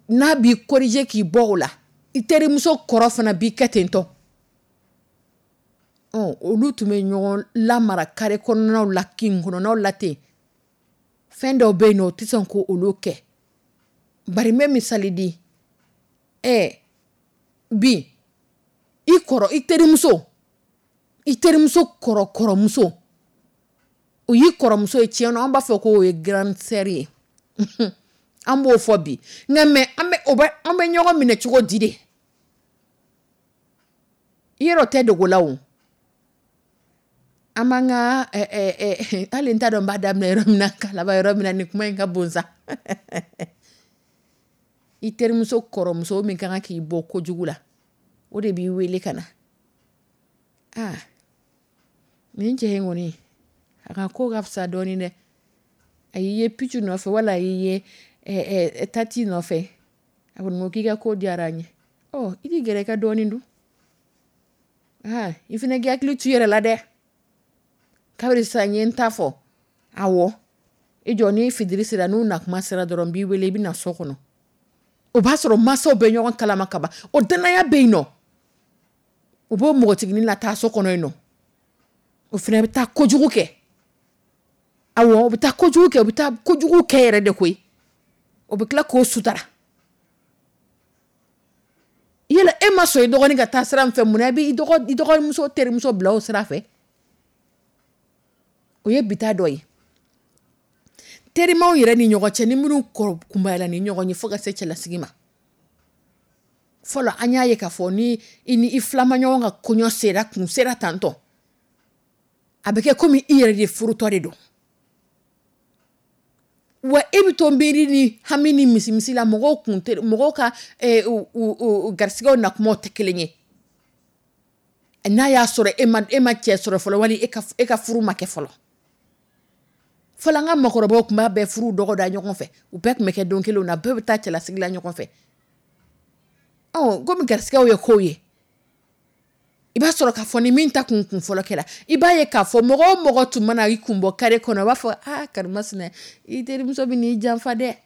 n'a b'i corriger k'i bɔ o la, i terimuso kɔrɔ fana b'i kɛ ten tɔ. Olu tun bɛ ɲɔgɔn lamara kare kɔnɔnaw la, kin kɔnɔnaw la ten. Fɛn dɔw bɛ yen nɔ, o tɛ sɔn ko olu kɛ. Bari n bɛ misali di. Ɛ bi, i kɔrɔ, i terimuso, i terimuso kɔrɔ kɔrɔmuso, o y'i kɔrɔmuso ye tiɲɛ na, an b'a fɔ k'o ye grande sœur ye. An b'o fɔ bi, nka mais an bɛ o bɛ an bɛ ɲɔgɔn minɛ cogo di de? I yɛrɛ tɛ dogo la o. An b'an ka, hali n t'a dɔn n b'a daminɛ yɔrɔ min na ka laban yɔrɔ min na, nin kuma in ka bon sa. I terimuso kɔrɔmuso min ka kan k'i bɔ kojugu la, o de b'i wele ka na: "Aa, nin cɛ in kɔni, a ka ko ka fisa dɔɔnin dɛ. A y'i ye puce nɔfɛ wala a y'i ye tati nɔfɛ. A kɔni ko k'i ka ko diyara n ye. Ɔ, i k'i gɛrɛ i ka dɔɔnin dun. Aa, i fana k'i hakili to i yɛrɛ la dɛ. Kabiri sisan n ye n ta fɔ. Awɔ, i jɔ, ni fitiri sera, n'u na kuma sera dɔrɔn, n b'i wele, i bɛ na so kɔnɔ." O b'a sɔrɔ mansaw bɛ ɲɔgɔn kalama kaban, o danaya bɛ yen nɔ. O b'o npogotiginin lataa so kɔnɔ yen nɔ, o fana bɛ taa kojugu kɛ. Awɔ, o bɛ taa kojugu kɛ, o bɛ taa kojugu kɛ yɛrɛ de koyi. O bɛ tila k'o sutara. Yala e ma sɔn i dɔgɔnin ka taa sira min fɛ, munna i bɛ i dɔgɔ i dɔgɔmuso terimuso bila o sira fɛ? O ye bi ta dɔ ye. Terimaw yɛrɛ ni ɲɔgɔn cɛ, ni minnu kɔrɔ kunbayala ni ɲɔgɔn ye fo ka se cɛlasigi ma, fɔlɔ an y'a ye k'a fɔ ni i ni i filamaɲɔgɔn ka kɔɲɔ sera, kun sera tantɔ, a bɛ kɛ komi i yɛrɛ de furutɔ de don wa. E bɛ to miiri ni hami ni misimisi la. Mɔgɔw kun tɛ mɔgɔw ka u garisigɛw na kumaw tɛ kelen ye. N'a y'a sɔrɔ e ma e ma cɛ sɔrɔ fɔlɔ, wali e ka e ka furu ma kɛ fɔlɔ. Fɔlɔ, an ka mɔgɔkɔrɔbaw tun b'a bɛɛ furu dɔgɔ da ɲɔgɔn fɛ. U bɛɛ tun bɛ kɛ don kelenw na, bɛɛ bɛ taa cɛlasigi la ɲɔgɔn fɛ. Ɔ, komi garisigɛw ye kow ye, i b'a sɔrɔ k'a fɔ ni min ta kun kun fɔlɔ kɛra, i b'a ye k'a fɔ mɔgɔ o mɔgɔ tun mana i kun bɔ kare kɔnɔ, u b'a fɔ: "Aa, karimasina, i terimuso bɛ n'i janfa dɛ."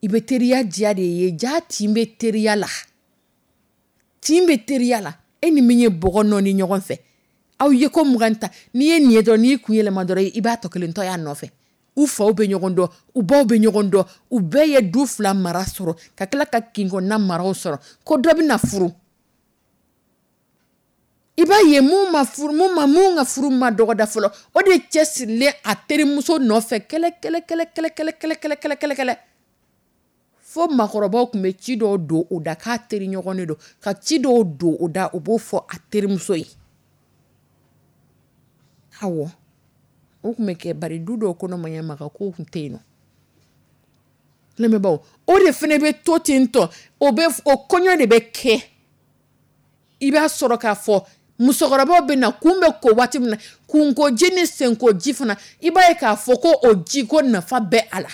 I bɛ teriya diya de ye. Ja tin bɛ teriya la, tin bɛ teriya la. E ni min ye bɔgɔ nɔɔni ɲɔgɔn fɛ, aw ye ko mugan ta, n'i ye nin ye dɔrɔn, n'i kun yɛlɛma dɔrɔn, i b'a tɔ kelen tɔ y'a nɔfɛ. U faw bɛ ɲɔgɔn dɔn, u baw bɛ ɲɔgɔn dɔn, u bɛɛ ye du fila mara sɔrɔ, ka tila ka kinkɔnna maraw sɔrɔ. Ko dɔ bɛ na furu, i b'a ye mun ma furu, mun ma mun ka furu ma dɔgɔda fɔlɔ, o de cɛ sirilen a terimuso nɔfɛ kɛlɛ kɛlɛ kɛlɛ kɛlɛ kɛlɛ kɛlɛ kɛlɛ kɛlɛ kɛlɛ kɛlɛ, fo maakɔrɔbaw tun bɛ ci dɔw don o da k'a teri ɲɔgɔn de don, ka ci dɔw don o da, o b'o fɔ a terimuso ye. Awɔ, o tun bɛ kɛ, bari du dɔw kɔnɔ, maɲamaga kow tun tɛ yen nɔ. Lamɛnbaaw, o de fana bɛ to ten tɔ. O bɛ o kɔɲɔ de bɛ kɛ. I b'a sɔrɔ k'a fɔ musokɔrɔbaw bɛ na kun bɛ ko waati min na, kunkoji ni senkoji fana, i b'a ye k'a fɔ ko o ji ko nafa bɛ a la.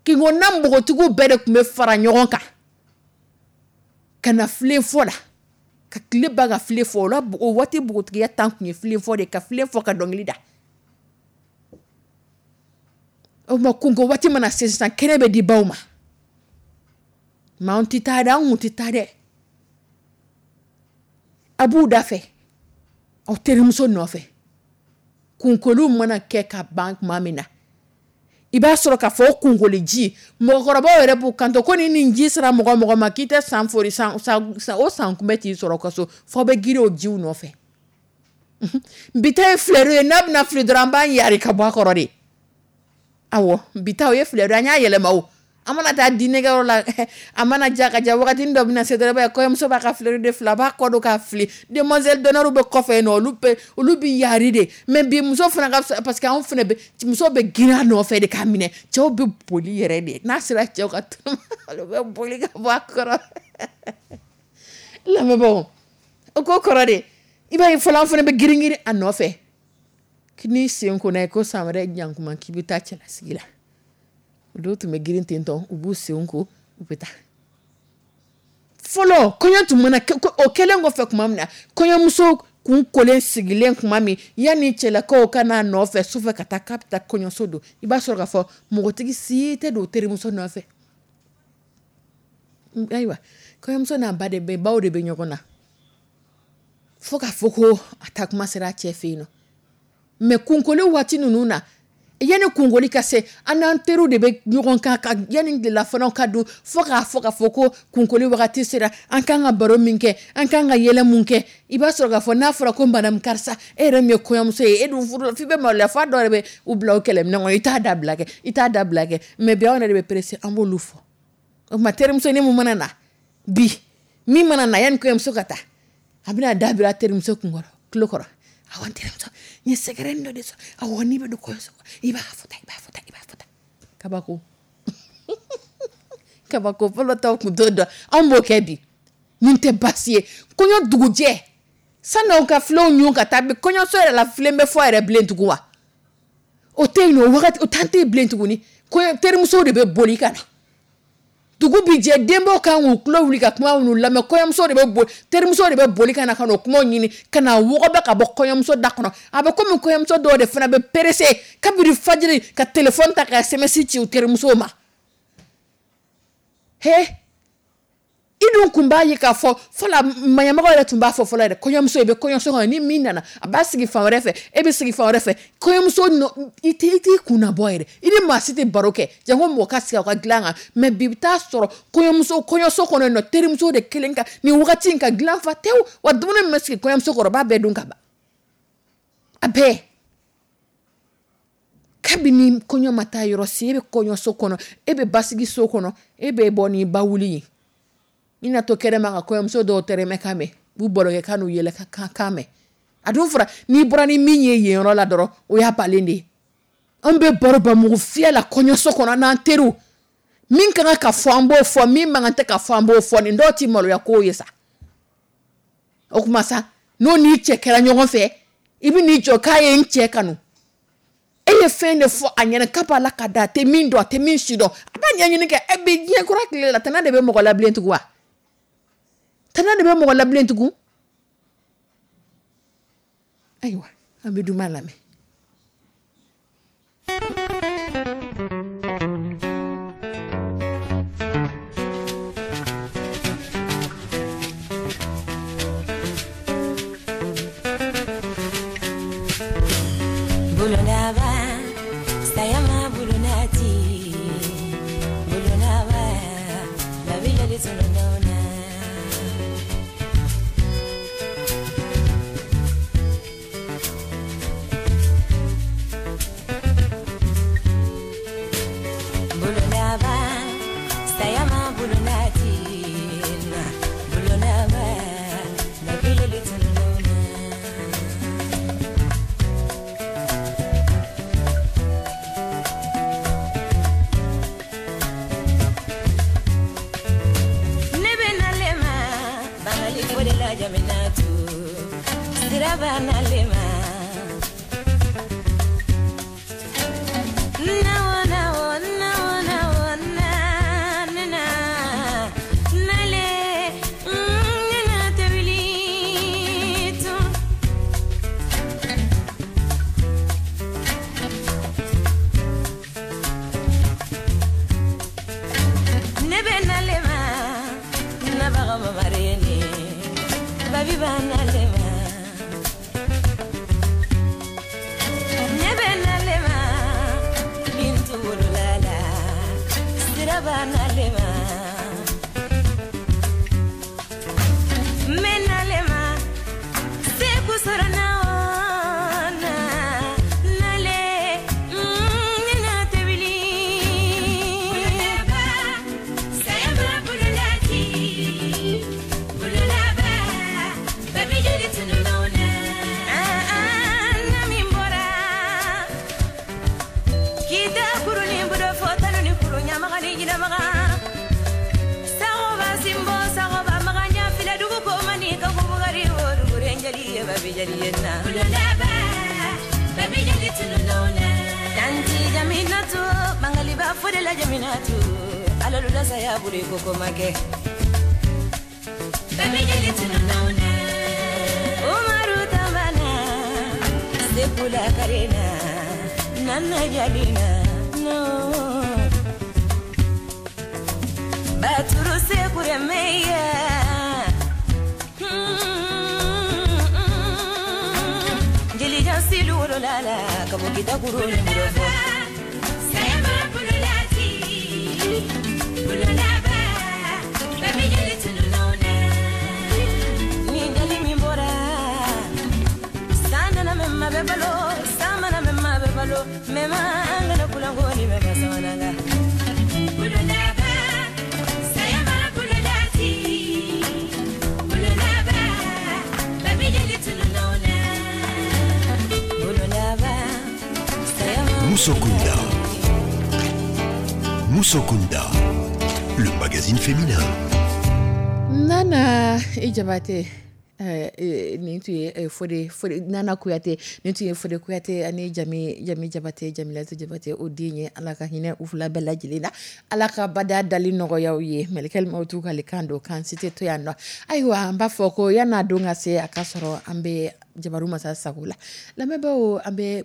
Kinkɔnna npogotigiw bɛɛ de tun bɛ fara ɲɔgɔn kan ka na filen fɔ la, ka tile ban ka filen fɔ. O la, o waati npogotigiya tan tun ye filen fɔ de, ka filen fɔ, ka dɔnkili da. O tuma, kunko waati mana se sisan, kɛnɛ bɛ di baw ma. Mɛ anw tɛ taa dɛ, an kun tɛ taa dɛ. A b'u da fɛ aw terimuso nɔfɛ. Kunkoliw mana kɛ ka ban tuma min na, i b'a sɔrɔ k'a fɔ o kunkoli ji, mɔgɔkɔrɔbaw yɛrɛ b'u kanto ko ni nin ji sera mɔgɔ mɔgɔ ma, k'i tɛ san fori san san o san kunbɛ t'i sɔrɔ ka so, f'aw bɛ girin o jiw nɔfɛ. Bi ta ye filɛru ye, n'a bɛna fili dɔrɔn, an b'an yari ka bɔ a kɔrɔ de. Awɔ, bi ta o ye filɛru ye, an y'a yɛlɛma. O an mana taa diinɛkɛyɔrɔ la, a mana ja ka ja, wagati dɔ bɛna se dɔrɔn, i b'a ye kɔɲɔmuso b'a ka fleur de fili, a b'a kɔ don k'a fili, demoiselle d'honneur bɛ kɔfɛ yen nɔ, olu bɛ olu bɛ yari de. Mais bi muso fana ka fisa, parce que anw fana bɛ, muso bɛ girin a nɔfɛ de k'a minɛ. Cɛw bɛ boli yɛrɛ de, n'a sera cɛw ka tuma, olu bɛ boli ka bɔ a kɔrɔ. Lamɛnbaaw, o ko kɔrɔ de, i b'a ye fɔlɔ, an fana bɛ girin girin a nɔfɛ. N'i sen kɔnna ye ko san wɛrɛ ɲankuma k'i bɛ taa cɛlasigi la, olu tun bɛ girin ten tɔ, u b'u sen ko, u bɛ taa. Fɔlɔ, kɔɲɔ tun mana kɛ, o kɛlen kɔfɛ tuma min na, kɔɲɔmuso kun kolen sigilen tuma min, yanni cɛlakaw ka n'a nɔfɛ sufɛ ka taa k'a bɛ taa kɔɲɔso don, i b'a sɔrɔ k'a fɔ npogotigi si tɛ don terimuso nɔfɛ. Ayiwa, kɔɲɔmuso n'a ba de bɛ, baw de bɛ ɲɔgɔn na, fo k'a fɔ ko a taa kuma sera a cɛ fɛ yen nɔ. Mɛ kunkoli waati ninnu na, Yanni kunkoli ka se, an n'an teriw de bɛ ɲɔgɔn kan ka yanni tilelafanaw ka dun, fo k'a fɔ k'a fɔ ko kunkoli wagati sera, an kan ka baro min kɛ, an kan ka yɛlɛ mun kɛ. I b'a sɔrɔ k'a fɔ n'a fɔra ko madame karisa, e yɛrɛ min ye kɔɲɔmuso ye, e dun furu f'i bɛ maloya, f'a dɔw yɛrɛ bɛ u bila o kɛlɛminɛ kɔnɔ, i t'a dabila kɛ, i t'a dabila kɛ. Mais bi anw yɛrɛ de bɛ pressé, an b'olu fɔ. O tuma terimuso ni mun mana na bi, min mana na yanni kɔɲɔmuso ka taa, a bɛna da bila terimuso kun kɔrɔ, tulo kɔrɔ. Awɔ, n terimuso, n ye secret dɔ de sɔrɔ. Awɔ, n'i bɛ don kɔɲɔso kɔnɔ, i b'a fɔ tan, i b'a fɔ tan, i b'a fɔ tan. Kabako. Kabako fɔlɔ taw kun t'o dɔn. Anw b'o kɛ bi. Nin tɛ baasi ye. Kɔɲɔ dugujɛ, san'aw ka filenw ɲun ka taa bi, kɔɲɔso yɛrɛ la filen bɛ fɔ yɛrɛ bilen tugun wa? O tɛ yen nɔ, o wagati, o temps tɛ yen bilen tuguni. Kɔɲɔ terimusow de bɛ boli ka na. Dugu bi jɛ, denbaw kan k'u tulo wuli ka kuma minnu lamɛn, kɔɲɔmuso de bɛ boli, terimuso de bɛ boli ka na ka n'o kumaw ɲini ka na wɔgɔbɛ ka bɔ kɔɲɔmuso da kɔnɔ. A bɛ komi kɔɲɔmuso dɔw de fana bɛ pressé kabini fajiri ka téléphone ta ka S M S ci u terimusow ma. He, i dun kun b'a ye k'a fɔ fɔlɔ maɲamɔgɔ yɛrɛ tun b'a fɔ fɔlɔ yɛrɛ, kɔɲɔmuso i bɛ kɔɲɔso kɔnɔ, ni min nana a b'a sigi fan wɛrɛ fɛ, e bɛ sigi fan wɛrɛ fɛ, kɔɲɔmuso nɔ, i tɛ i t'i kun nabɔ yɛrɛ, i ni maa si tɛ baro kɛ, janko mɔgɔ ka sigi aw ka dilan kan. Mais bi i bɛ taa sɔrɔ kɔɲɔmuso kɔɲɔso kɔnɔ yen nɔ, terimuso de kelen ka nin wagati in ka dilan fa tewu, wa dumuni min bɛ sigi kɔɲɔmuso kɔrɔ, o b'a bɛɛ dun ka ban, a bɛɛ. Kabini kɔɲɔ ma taa yɔrɔ si, e bɛ kɔɲɔso kɔnɔ, e bɛ basigi so kɔnɔ, e bɛ bɔ n'i ba wuli ye. I na to kɛnɛma ka kɔɲɔmuso dɔw tɛrɛmɛ kan mɛn, u barokɛ kan n'u yɛlɛ ka kan mɛn. A dun fɔra n'i bɔra ni min ye yen yɔrɔ la dɔrɔn, o y'a balen de ye. An bɛ baro bamugu fiyɛ la kɔɲɔso kɔnɔ n'an teriw, min ka kan ka fɔ an b'o fɔ, min man kan tɛ ka fɔ an b'o fɔ. Nin dɔw ti maloya kow ye sa. O tuma sa, n'o n'i cɛ kɛra ɲɔgɔn fɛ, i bɛ n'i jɔ k'a ye n cɛ kanu. E ye fɛn de fɔ a ɲɛna k'a b'a la ka da, a tɛ min dɔn, a tɛ min si dɔn, a b'a ɲɛɲini kɛ. E bi diɲɛ kura tile la, tana de bɛ mɔgɔ labilen tugun wa? Tana de bɛ mɔgɔ labilen tugun? Ayiwa, an bɛ duman lamɛn. Bulonaba, sayama bulonati, bulonaba, babijali tulonona. Bulonaba, sayama bulonati, bulonaba, babijali tulonona. Jaminatu, siraba nalema. Nawo nawo nawo nawo na na nale na tabilitu. Nebe nalema, nabaga mamarene. Babi banalema, nebe nalema, bintu wululala, sira banalema, menalema, seku sora na nale, nena tebili. Bululaba, sayama bululati, bululaba. Baby, you need to know now. Ah, ah, mimbora. Kita kuru ni budo fota ni kuru nyamaga ni jina maga. Sago ba simbo, sago ba maga nyafila dugu ko mani ka kubugari woru kurenjali ye baby jali ye na. Bululaba, baby, you need to know now. Tanti jaminatu, bangali ba fodela jaminatu. Alalula saya buri koko make. Baby, you need to know now. Umaru tambana, sekula karena, nana jalina, no. Baturu sekure meya. Jeli jansilu lala, kabukita kuru ni murofo. Ni dali min bɔra, san nana mɛ ma bɛ balo, san mana mɛ ma bɛ balo, mɛ ma an kana kulanko ni bɛ ka samananga. Bololaba, saya ma Musokunda. Musokunda, le magazine féminin. Nana i Jabate, eh, eh, nin tun ye eh, Fode Fode Nana Kuyate, nin tun ye Fode Kuyate ani Jami Jami Jabate, Jamilatu Jabate o den ye. Ala ka hinɛ u fila bɛɛ lajɛlen na, Ala ka bada dali nɔgɔya u ye. Mɛlɛkɛli mawutu k'ale kan don k'an si tɛ to yan nɔ. Ayiwa, an b'a fɔ ko yan'a don ka se, a ka sɔrɔ an bɛ Jabaru Masa sago la. Lamɛnbaaw, an bɛ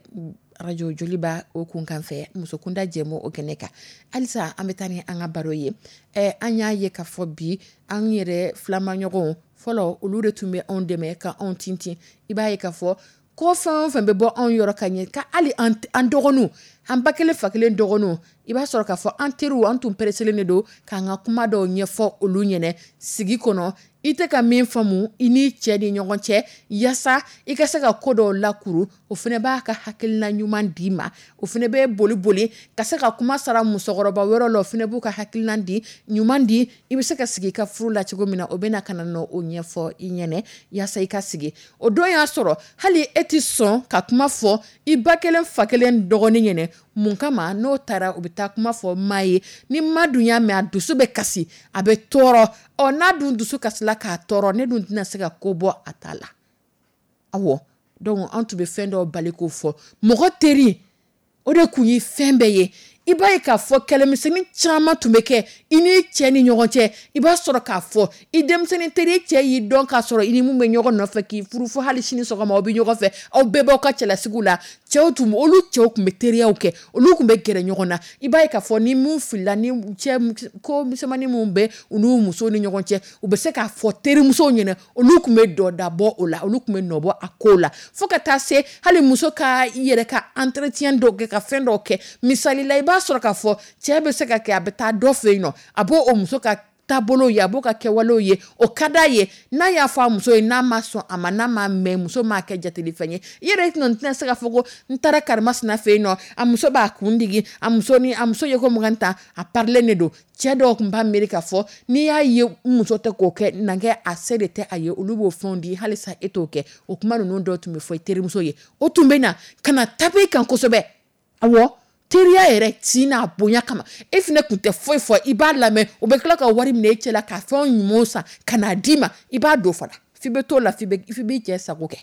arajo Joliba o kun kan fɛ musokunda jɛmu o kɛnɛ kan. Halisa an bɛ taa ni an ka baro ye. Ɛ an y'a ye k'a fɔ bi an yɛrɛ filamaɲɔgɔnw fɔlɔ, olu de tun bɛ anw dɛmɛ ka anw tintin. I b'a ye k'a fɔ ko fɛn o fɛn bɛ bɔ anw yɔrɔ ka ɲɛ, ka hali an an dɔgɔninw, an ba kelen fa kelen dɔgɔninw, i b'a sɔrɔ k'a fɔ an teriw, an tun pereselen de don k'an ka kuma dɔw ɲɛfɔ olu ɲɛnɛ sigi kɔnɔ. I tɛ ka min faamu i n'i cɛ ni ɲɔgɔn cɛ, yaasa i ka se ka ko dɔw lakuru, o fana b'a ka hakilina ɲuman d'i ma. O fana bɛ boli boli ka se ka kuma sara musokɔrɔba wɛrɛ la, o fana b'u ka hakilina di ɲuman di, i bɛ se ka sigi i ka furu la cogo min na, o bɛ na ka na nɔ o ɲɛfɔ i ɲɛnɛ yaasa i ka sigi. O don y'a sɔrɔ hali e tɛ sɔn ka kuma fɔ i ba kelen fa kelen dɔgɔnin ɲɛnɛ. Mun kama? N'o taara, u bɛ taa kuma fɔ maa ye, ni ma dun y'a mɛn, a dusu bɛ kasi, a bɛ tɔɔrɔ. Ɔ n'a dun dusu kasila k'a tɔɔrɔ, ne dun tɛna se ka ko bɔ a ta la. Awɔ, donc an tun bɛ fɛn dɔw bali k'o fɔ mɔgɔ teri, o de kun ye fɛn bɛɛ ye. I b'a ye k'a fɔ kɛlɛmisɛnnin caman tun bɛ kɛ i n'i cɛ ni ɲɔgɔn cɛ. I b'a sɔrɔ k'a fɔ i denmisɛnnin teri cɛ y'i dɔn k'a sɔrɔ i ni mun bɛ ɲɔgɔn nɔfɛ k'i furu, fo hali sini sɔgɔma aw bɛ ɲɔgɔn fɛ, aw bɛɛ b'aw ka cɛlasigiw la. Cɛw tun, olu cɛw tun bɛ teriyaw kɛ, olu tun bɛ gɛrɛ ɲɔgɔn na. I b'a ye k'a fɔ ni mun filila, ni cɛ ko misɛnmanin mun bɛ u n'u musow ni ɲɔgɔn cɛ, u bɛ se k'a fɔ terimusow ɲɛna, olu tun bɛ dɔ dabɔ o la, olu tun bɛ nɔ bɔ a kow la, fo ka taa se hali muso ka i yɛrɛ ka entretien dɔw kɛ, ka fɛn dɔw kɛ. Misali la, i b'a sɔrɔ k'a fɔ cɛ bɛ se ka kɛ a bɛ taa dɔ fɛ yen nɔ, a b'o o muso ka taabolo ye, a b'o ka kɛwalew ye, o ka d'a ye. N'a y'a fɔ a muso ye, n'a ma sɔn a ma, n'a ma mɛn, muso m'a kɛ jateli fɛn ye, i yɛrɛ tɛna se k'a fɔ ko n taara karimasina fɛ yen nɔ, a muso b'a kun digi, a muso ni a muso ye ko mugan ta, a parilen de don. Cɛ dɔw tun b'a miiri k'a fɔ n'i y'a ye muso tɛ k'o kɛ, na kɛ a se de tɛ a ye, olu b'o fɛnw di, halisa e t'o kɛ. O kuma ninnu dɔw tun bɛ fɔ i terimuso ye, o tun bɛ na ka na tape kan kosɛbɛ. Awɔ, teriya yɛrɛ tin n'a bonya kama, e fana tun tɛ foyi fɔ, i b'a lamɛn. O bɛ tila ka wari minɛ e cɛ la ka fɛn ɲumanw san ka n'a d'i ma, i b'a don fana, f'i bɛ t'o la, f'i b'i cɛ sago kɛ.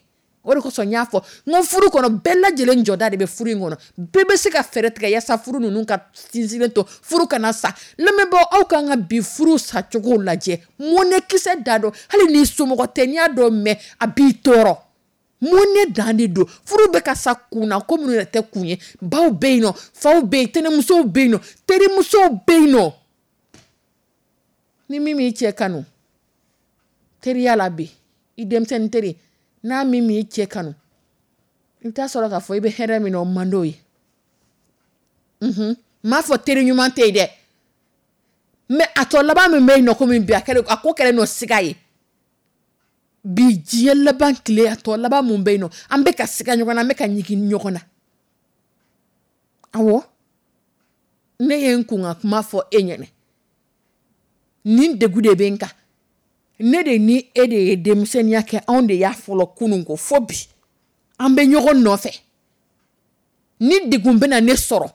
O de kosɔn n y'a fɔ n ko furu kɔnɔ, bɛɛ lajɛlen jɔda de bɛ furu in kɔnɔ, bɛɛ bɛ se ka fɛɛrɛ tigɛ yaasa furu ninnu ka sinsinlen to, furu kana sa. Lamɛnbaaw, aw kan ka bi furu sacogo lajɛ, mɔnɛkisɛ da dɔn, hali n'i somɔgɔ tɛ, n'i y'a dɔn mɛn, a b'i tɔɔrɔ. Mɔnɛ dan de don, furu bɛ ka sa kun na, ko minnu yɛrɛ tɛ kun ye. Baw bɛ yen nɔ, faw bɛ yen, tɛnɛmusow bɛ yen nɔ, terimusow bɛ yen nɔ. Ni min m'i cɛ kanu teriya la bi, i denmisɛnnin teri, n'a min m'i cɛ kanu, i bɛ taa sɔrɔ k'a fɔ i bɛ hɛrɛ min na, o man d'o ye. N m'a fɔ teri ɲuman tɛ yen dɛ, mais a tɔ laban min bɛ yen nɔ, komi bi a kɛlen, a ko kɛlen nɔ siga ye bi, diɲɛ laban tile, a tɔ laban mun bɛ yen nɔ, an bɛ ka siga ɲɔgɔn na, an bɛ ka ɲigin ɲɔgɔn na. Awɔ, ne ye n kun ka kuma fɔ e ɲɛna, nin degun de bɛ n kan. Ne de ni e de ye denmisɛnninya kɛ, anw de y'a fɔlɔ kunun ko fo bi an bɛ ɲɔgɔn nɔfɛ. Ni degun bɛna ne sɔrɔ,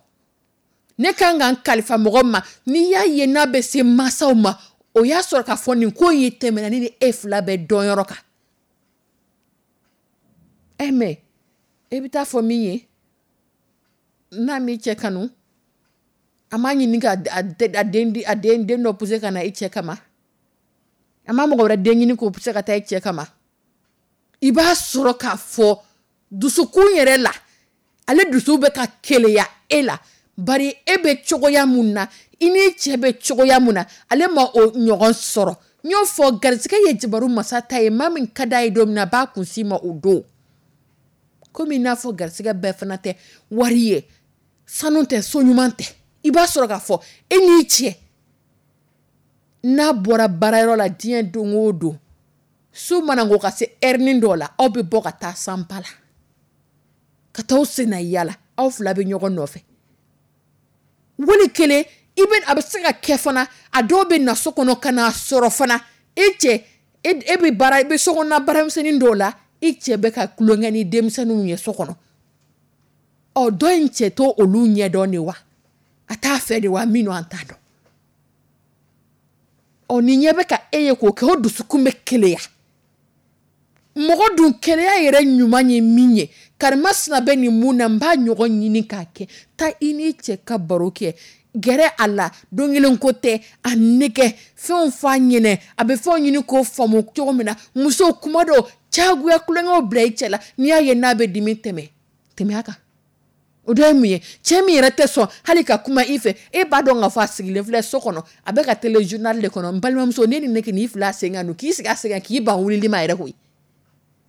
ne kan ka n kalifa mɔgɔ ma. N'i y'a ye n'a bɛ se mansaw ma, o y'a sɔrɔ k'a fɔ nin ko in ye tɛmɛna ne ni e fila bɛɛ dɔn yɔrɔ kan. Ɛ mais e bɛ taa fɔ min ye, n'a m'i cɛ kanu, a m'a ɲini ka a den a den den dɔ pousser ka na i cɛ kama, a ma mɔgɔ wɛrɛ den ɲini k'o pousser ka taa i cɛ kama. I b'a sɔrɔ k'a fɔ dusukun yɛrɛ la, ale dusu bɛ ka keleya e la, bari e bɛ cogoya mun na, i n'i cɛ bɛ cogoya mun na, ale ma o ɲɔgɔn sɔrɔ. N y'o fɔ, garisɛgɛ ye jabaru masa ta ye, maa min ka d'a ye don min na, a b'a kun si ma o don. Komi i n'a fɔ garisɛgɛ bɛɛ fana tɛ wari ye, sanu tɛ, so ɲuman tɛ. I b'a sɔrɔ k'a fɔ e n'i cɛ N'a bɔra baarayɔrɔ la diɲɛ don o don, su mana ko ka se heure dɔ la, aw bɛ bɔ ka taa sanpa la, ka taa senna yala, aw fila bɛ ɲɔgɔn nɔfɛ. Wali kelen i bɛ a bɛ se ka kɛ fana, a dɔw bɛ na so kɔnɔ ka n'a sɔrɔ fana e cɛ e bɛ baara, i bɛ sokɔnɔna baaramisɛnnin dɔw la, i cɛ bɛ ka tulonkɛ ni denmisɛnninw ye so kɔnɔ. Ɔ dɔ in cɛ to olu ɲɛdɔn de wa, a t'a fɛ de wa, min an t'a dɔn. Ɔ ni ɲɛ bɛ ka e ye k'o kɛ, o dusukun bɛ keleya. Mɔgɔ dun keleya yɛrɛ ɲuman ye min ye, karimasina bɛ nin mun na, n b'a ɲɔgɔn ɲini k'a kɛ. Taa i n'i cɛ ka baro kɛ, gɛrɛ a la, don kelen ko tɛ, a nɛgɛ fɛnw f'a ɲɛnɛ, a bɛ fɛnw ɲini k'o faamu cogo min na. Muso kuma dɔw cagoya tulonkɛw bila i cɛ la, n'i y'a ye n'a bɛ dimi, tɛmɛ tɛmɛ a kan. O dɔ ye mun ye? Cɛ min yɛrɛ tɛ sɔn hali ka kuma i fɛ, e b'a dɔn k'a fɔ a sigilen filɛ so kɔnɔ, a bɛ ka téléjournal de kɔnɔ. N balimamuso, ne ni ne k'i fila sen kan don, k'i sigi a sen kan, k'i ban wulili ma yɛrɛ koyi.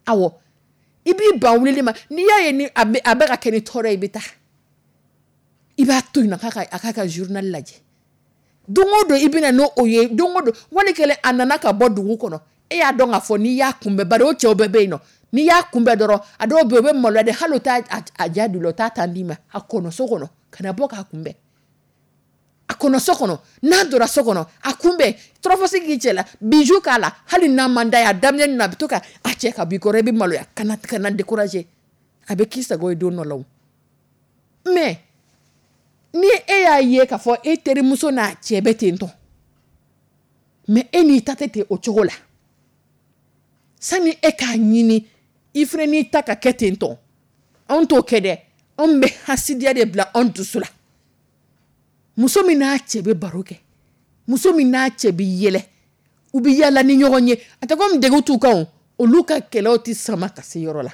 Awɔ, i b'i ban wulili ma. N'i y'a ye ni a bɛ a bɛ ka kɛ ni tɔɔrɔ ye, i bɛ taa, i b'a to yen nɔ k'a ka a k'a ka journal lajɛ. Don o don i bɛna n'o o ye, don o don. Wali kelen a nana ka bɔ dugu kɔnɔ, e y'a dɔn k'a fɔ n'i y'a kunbɛn, bari o cɛw bɛɛ bɛ yen nɔ, n'i y'a kunbɛn dɔrɔn, a dɔw bɛ yen, u bɛ maloya de, hali u t'a a ja don la, u t'a ta d'i ma. A kɔnɔ so kɔnɔ ka na bɔ k'a kunbɛn, a kɔnɔ so kɔnɔ. N'a donna so kɔnɔ, a kunbɛn, tɔrɔfɔsi k'i cɛ la, bijou k'a la, hali n'a man d'a ye a daminɛ na, a bɛ to ka a cɛ ka b'i kɔrɔ, i bɛ maloya, kana kana décourager, a bɛ k'i sago ye don dɔ la o. Mais ni e y'a ye k'a fɔ e terimuso n'a cɛ bɛ ten tɔ, mais e n'i ta tɛ ten o cogo la, sani e k'a ɲini i fana n'i ta ka kɛ ten tɔ, anw t'o kɛ dɛ. Anw bɛ hasidiya de bila anw dusu la. Muso min n'a cɛ bɛ baro kɛ, muso min n'a cɛ bɛ yɛlɛ, u bɛ yala ni ɲɔgɔn ye, a tɛ komi degun t'u kan o, olu ka kɛlɛw tɛ sama ka se yɔrɔ la.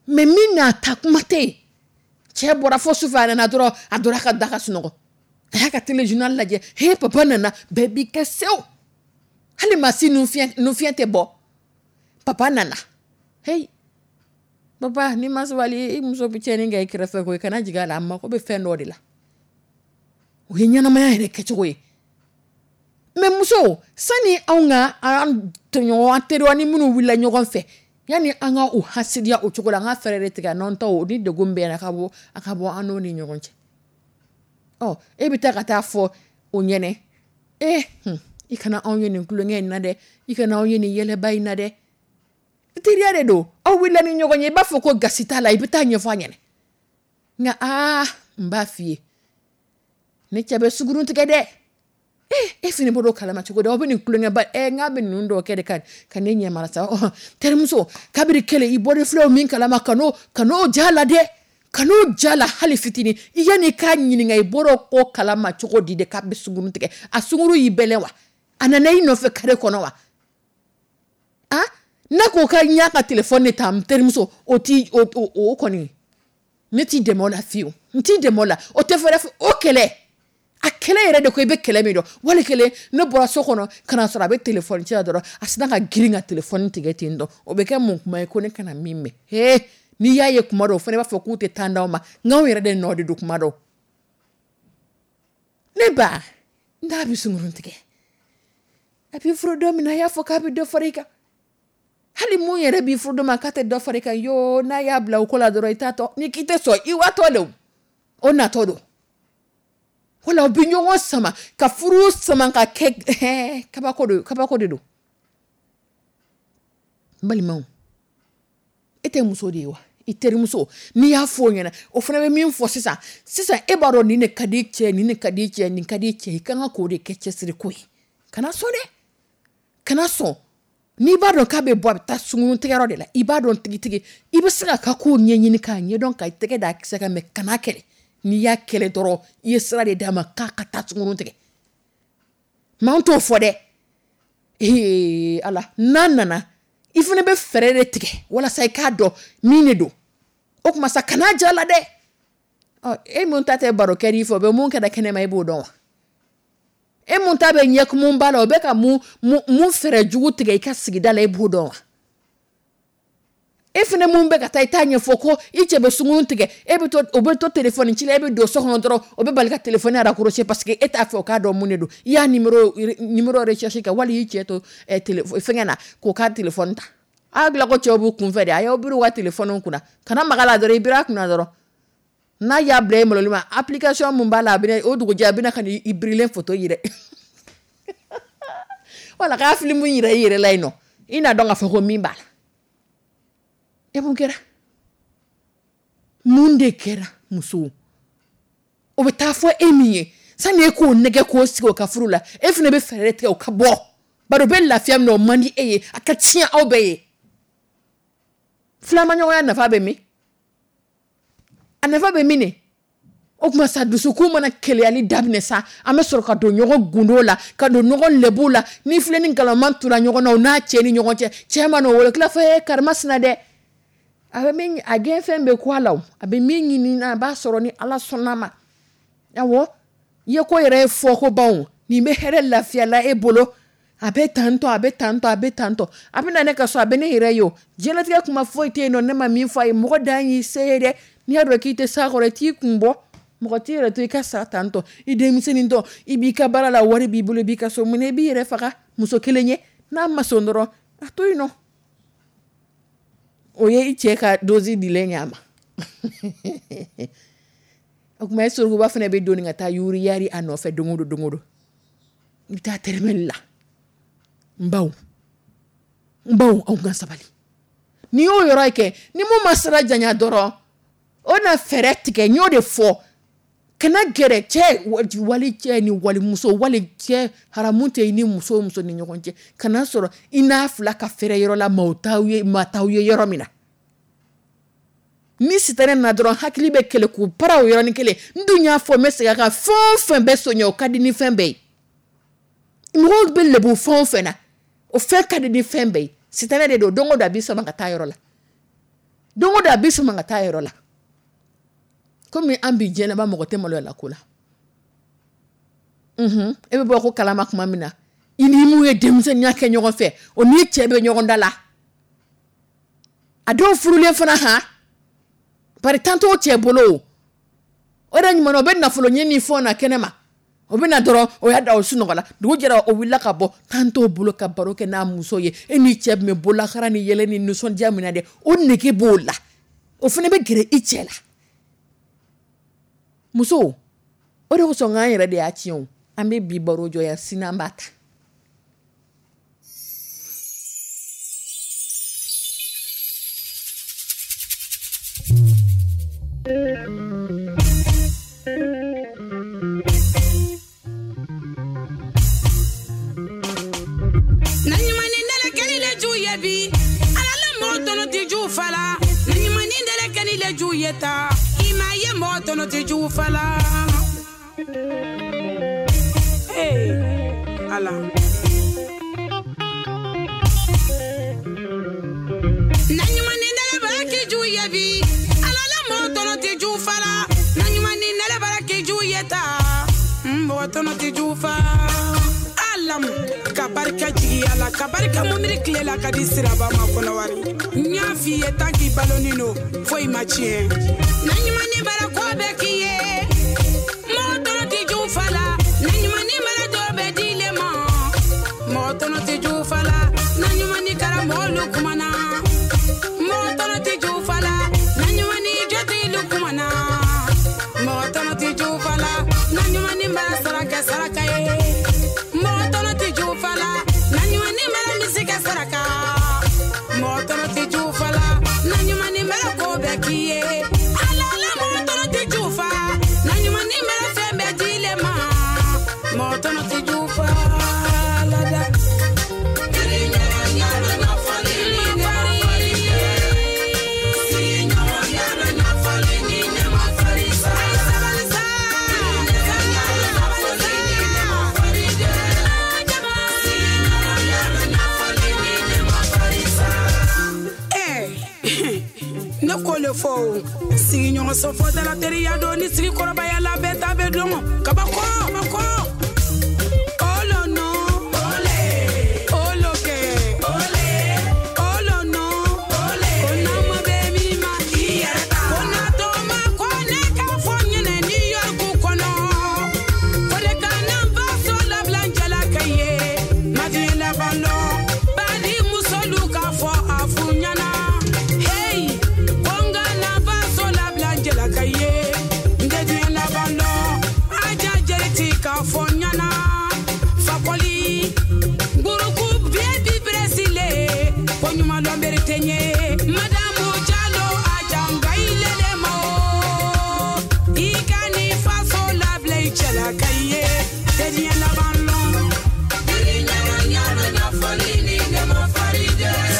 Mais min n'a ta kuma tɛ yen, cɛ bɔra fo sufɛ, a nana dɔrɔn, a donna ka da ka sunɔgɔ, a y'a ka téléjournal lajɛ, he papa nana, bɛɛ b'i kɛ sew, hali maa si nun fiɲɛ nun fiɲɛ tɛ bɔ, papa nana. Hey papa, ni ma sabali, i muso bɛ tiɲɛni kɛ i kɛrɛfɛ koyi, kana jigin a la, a mako bɛ fɛn dɔ de la. O ye ɲɛnamaya yɛrɛ kɛcogo ye. Mais muso, sani anw ka an tɔɲɔgɔn, an teriw ni minnu wulila ɲɔgɔn fɛ, yanni an ka o hasidiya o cogo la, an ka fɛɛrɛ de tigɛ n'an taw ni degun bɛɛ a ka bɔ a ka bɔ an n'o ni ɲɔgɔn cɛ. Ɔ e bɛ taa ka taa fɔ o ɲɛnɛ, e hun, i kana anw ye nin tulonkɛ in na dɛ, i kana anw ye nin yɛlɛba in na dɛ. Teriya de don, aw wulila ni ɲɔgɔn ye, i b'a fɔ ko gasi t'a la, i bɛ taa ɲɛfɔ a ɲɛnɛ. Nka aa, n b'a f'i ye, ne cɛ bɛ sugurun tigɛ dɛ. E e fini bɔr'o kalama cogo di? Aw bɛ nin tulonkɛba ɛ, n k'a bɛ ninnu dɔw kɛ de ka ka ne ɲɛ mara sa. Terimuso, kabiri kelen i bɔra filɛ min kalama, ka n'o ka n'o ja la dɛ, ka n'o ja la hali fitinin. I yanni k'a ɲininka i bɔra ko kalama cogo di de k'a bɛ sugurun tigɛ? A suguru y'i bɛlɛn wa? A nana i nɔfɛ kare kɔnɔ wa? A n'a ko ka n y'a ka telefɔni de ta, n terimuso, o ti o o o kɔni ne t'i dɛmɛ o la fiyewu, n t'i dɛmɛ o la. O tɛ fɔ dɛ, o kɛlɛ, a kɛlɛ yɛrɛ de ko i bɛ kɛlɛ min dɔn. Wali kelen ne bɔra so kɔnɔ ka na sɔrɔ a bɛ telefɔni ci la dɔrɔn, a sinna ka girin ka telefɔni tigɛ ten tɔ. O bɛ kɛ mun kuma ye ko ne kana min mɛn? Hee, n'i y'a ye kuma dɔw fana b'a fɔ k'u tɛ tan d'aw ma, nka anw yɛrɛ de nɔ de don kuma dɔw. Ne ba, n'a bɛ sunkurun tigɛ, a b'i furu don min na, a y'a fɔ k'a bɛ dɔ fara i kan. Hali mun yɛrɛ b'i furu don ma k'a tɛ dɔ fara i kan yoo, n'a y'a bila o ko la dɔrɔn, i t'a tɔ ni k'i tɛ sɔn i watɔ de, o natɔ don. Wala u bɛ ɲɔgɔn sama ka furu sama ka kɛ hɛɛ kabako de, kabako de don. N balimaw, e tɛ muso de ye wa? I terimuso, n'i y'a fɔ o ɲɛna, o fana bɛ min fɔ sisan sisan, e b'a dɔn nin de ka di cɛ, nin de ka di cɛ, nin ka di cɛ, i kan ka k'o de kɛ cɛsiri ko ye. Kana sɔn dɛ, kana sɔn. N'i b'a dɔn k'a bɛ bɔ, a bɛ taa sunkurun tigɛyɔrɔ de la, i b'a dɔn tigitigi, i bɛ se ka kow ɲɛɲini k'a ɲɛdɔn, ka tɛgɛ da a kisɛ kan, mɛ kana kɛlɛ. N'i y'a kɛlɛ dɔrɔn, i ye sira de d'a ma k'a ka taa sunkurun tigɛ. Mɛ an t'o fɔ dɛ. Ee ala, n'a nana, i fana bɛ fɛɛrɛ de tigɛ walasa i k'a dɔn min de don. O tuma sa, kana ja la dɛ. Ɔ e mun ta tɛ baro kɛ fɛ, o bɛ mun kɛra kɛnɛma, i b'o dɔn wa? E mun ta bɛ ɲɛkumun ba la, o bɛ ka mun mun fɛɛrɛ jugu tigɛ i ka sigida la, i b'o dɔn wa? E fana mun bɛ ka taa i t'a ɲɛfɔ ko i cɛ bɛ sunkurun tigɛ, e bɛ to, o bɛ to téléphone ci la, e bɛ don so kɔnɔ dɔrɔn, o bɛ bali ka téléphone raccrocher parce que e t'a fɛ o k'a dɔn mun de don. I y'a numéro, numéro recherche kɛ, wali y'i cɛ to eh, téléphone fɛngɛ na k'o ka téléphone ta. A dilan ko cɛw b'u kunfɛ de, a y'aw biri u ka téléphone kunna, kana maga la dɔrɔn, i biri a kunna dɔrɔn. N'a y'a bila e maloli ma, application mun b'a la, a bɛna o dugujɛ a bɛna ka n'i birilen photo yɛrɛ. Wala k'a film yira i yɛrɛ la yen nɔ, i n'a dɔn k'a fɔ ko min b'a la. E mun kɛra? Mun de kɛra muso? O bɛ taa fɔ e min ye, sani e k'o nɛgɛ k'o sigi o ka furu la, e fana bɛ fɛɛrɛ tigɛ o ka bɔ. Bari o bɛ lafiya min na, o man di e ye, a ka tiɲɛ aw bɛɛ ye. Filamaɲɔgɔnya nafa bɛ min? A nafa bɛ min de? O tuma sa dusukun mana keleyali daminɛ sa, an bɛ sɔrɔ ka don ɲɔgɔn gundo la, ka don ɲɔgɔn lebu la. Ni filɛ ni nkalonman tura ɲɔgɔn na, o n'a cɛ ni ɲɔgɔn cɛ, cɛ ma n'o wele tila fɔ e karima sina dɛ. A bɛ min, a gɛn fɛn bɛ ku a la o, a bɛ min ɲini na, a b'a sɔrɔ ni Ala sɔnna ma. Awɔ, i ye ko yɛrɛ ye fɔ ko ban o, nin bɛ hɛrɛ lafiya la e bolo. A bɛ tantɔ, a bɛ tantɔ, a bɛ tantɔ. A bɛ na ne ka so, a bɛ ne yɛrɛ ye o. Diɲɛlatigɛ kuma foyi tɛ yen nɔ, ne ma min fɔ a ye. Mɔgɔ dan y'i se ye dɛ. N'i y'a dɔn k'i tɛ s'a kɔrɔ, i t'i kun bɔ. Mɔgɔ t'i yɛrɛ to i ka sa tantɔ. I denmisɛnnin tɔ, i b'i ka baara la, wari b'i bolo, i b'i ka so. Mun na i b'i yɛrɛ faga muso kelen ye? N'a ma sɔn dɔrɔn, a to yen nɔ. O ye i cɛ ka dose dilen ye a ma. O tuma e surukuba fana bɛ doni ka taa yuriyari a nɔfɛ don o don, don o don. I bɛ taa tɛrɛmɛli la. N baw, n baw, aw ka sabali. N'i y'o yɔrɔ kɛ, ni mun ma sira janya dɔrɔn, o na fɛɛrɛ tigɛ. N y'o de fɔ. Kana gɛrɛ cɛ, wali cɛ ni wali muso, wali cɛ haramu tɛ i ni muso o muso ni ɲɔgɔn cɛ. Kana sɔrɔ i n'a fila ka fɛrɛ yɔrɔ la, maaw t'aw ye, maa t'aw ye yɔrɔ min na. Ni sitanɛ nana dɔrɔn, hakili bɛ kɛlɛ k'u para o yɔrɔnin kelen. N dun y'a fɔ, n bɛ segin a kan, fɛn o fɛn bɛ soɲɛ, o ka di ni fɛn bɛɛ ye. Mɔgɔw bɛ lebu fɛn o fɛn na, o fɛn ka di ni fɛn bɛɛ ye. Sitanɛ de don, don o don a b'i sama ka taa yɔrɔ la. Don o don a b'i sama ka taa yɔrɔ la. Komi an bi diɲɛlaban mɔgɔ tɛ maloya la ko la. Unhun, e bɛ bɔ ko kalama tuma min na, i ni mun ye denmisɛnninya kɛ ɲɔgɔn fɛ, o n'i cɛ bɛ ɲɔgɔn da la. A dɔw furulen fana han, bari tan t'o cɛ bolo o. O de ɲuman na, o bɛ nafolo ɲini ni fɛnw na kɛnɛ ma. O bɛ na dɔrɔn, o y'a da o sunɔgɔ la. Dugu jɛra, o wulila ka bɔ. Tan t'o bolo ka baro kɛ n'a muso ye. E n'i cɛ bɛ bolokara ni yɛlɛ ni nisɔndiya min na dɛ, o nege b'o la. O fana bɛ gɛrɛ i cɛ la. Muso, o de kosɔn k'an yɛrɛ de y'a tiɲɛ o. An bɛ bi baro jɔ yan, sini an b'a ta. Na ɲuman ni nɛnɛ kɛli le ju ye bi. Ala la mɔgɔ tɔnɔ tɛ ju fa la. Na ɲuman ni nɛnɛ kɛli le ju ye ta. I ma ye mɔgɔ tɔnɔ tɛ ju fa la. Hey, Ala. Na ɲuman ni nɛnɛ bara k'i ju ye bi. Ala la mɔgɔ tɔnɔ tɛ ju fa la. Na ɲuman ni nɛnɛ bara k'i ju ye ta. Mɔgɔ tɔnɔ tɛ ju fa. Alamu, ka barika jigiya la, ka barika mumiri tile la ka di siraba ma kɔnɔwari. N y'a f'i ye tan k'i balonin don, foyi ma tiɲɛ. Na ɲuman ni bara ko bɛɛ k'i ye. Mɔgɔ tɔnɔ tɛ ju fa la. Na ɲuman ni bara dɔ bɛ di le ma. Mɔgɔ tɔnɔ tɛ ju fa la. Na ɲuman ni karamɔgɔ lu kumana. Mɔgɔ tɔnɔ tɛ ju fa la. Na ɲuman ni jotigi lu kumana. Mɔgɔ tɔnɔ tɛ ju fa la. Na ɲuman ni bara saraka saraka ye. Mɔgɔ tɔnɔ tɛ ju fa la. Na ɲuman ni bara misi kɛ saraka. Mɔgɔ tɔnɔ tɛ ju fa la. Na ɲuman ni bara ko bɛɛ k'i ye. Ala la mɔgɔ tɔnɔ tɛ ju fa. Na ɲuman ni bara fɛn bɛɛ di le ma. Mɔgɔ tɔnɔ tɛ ju fa la dɛ. Ne ko le fɔ o. Sigiɲɔgɔn sɔfɔ dala teriya don ni sigi kɔrɔbaya la bɛɛ ta bɛ dɔn. Kabako, kabako. Olo no, ole. Olo kɛ, ole. Olo no, ole. Ko n'a Ma dɔn bere tɛ ɲɛ. Madamu Jalo, a janga i lele ma o. I ka ni faso labila i cɛla ka i ye tɛ diɲɛ laban lɔn.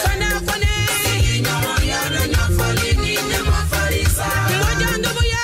Fana Kɔnɛ. Mɔjanduguya.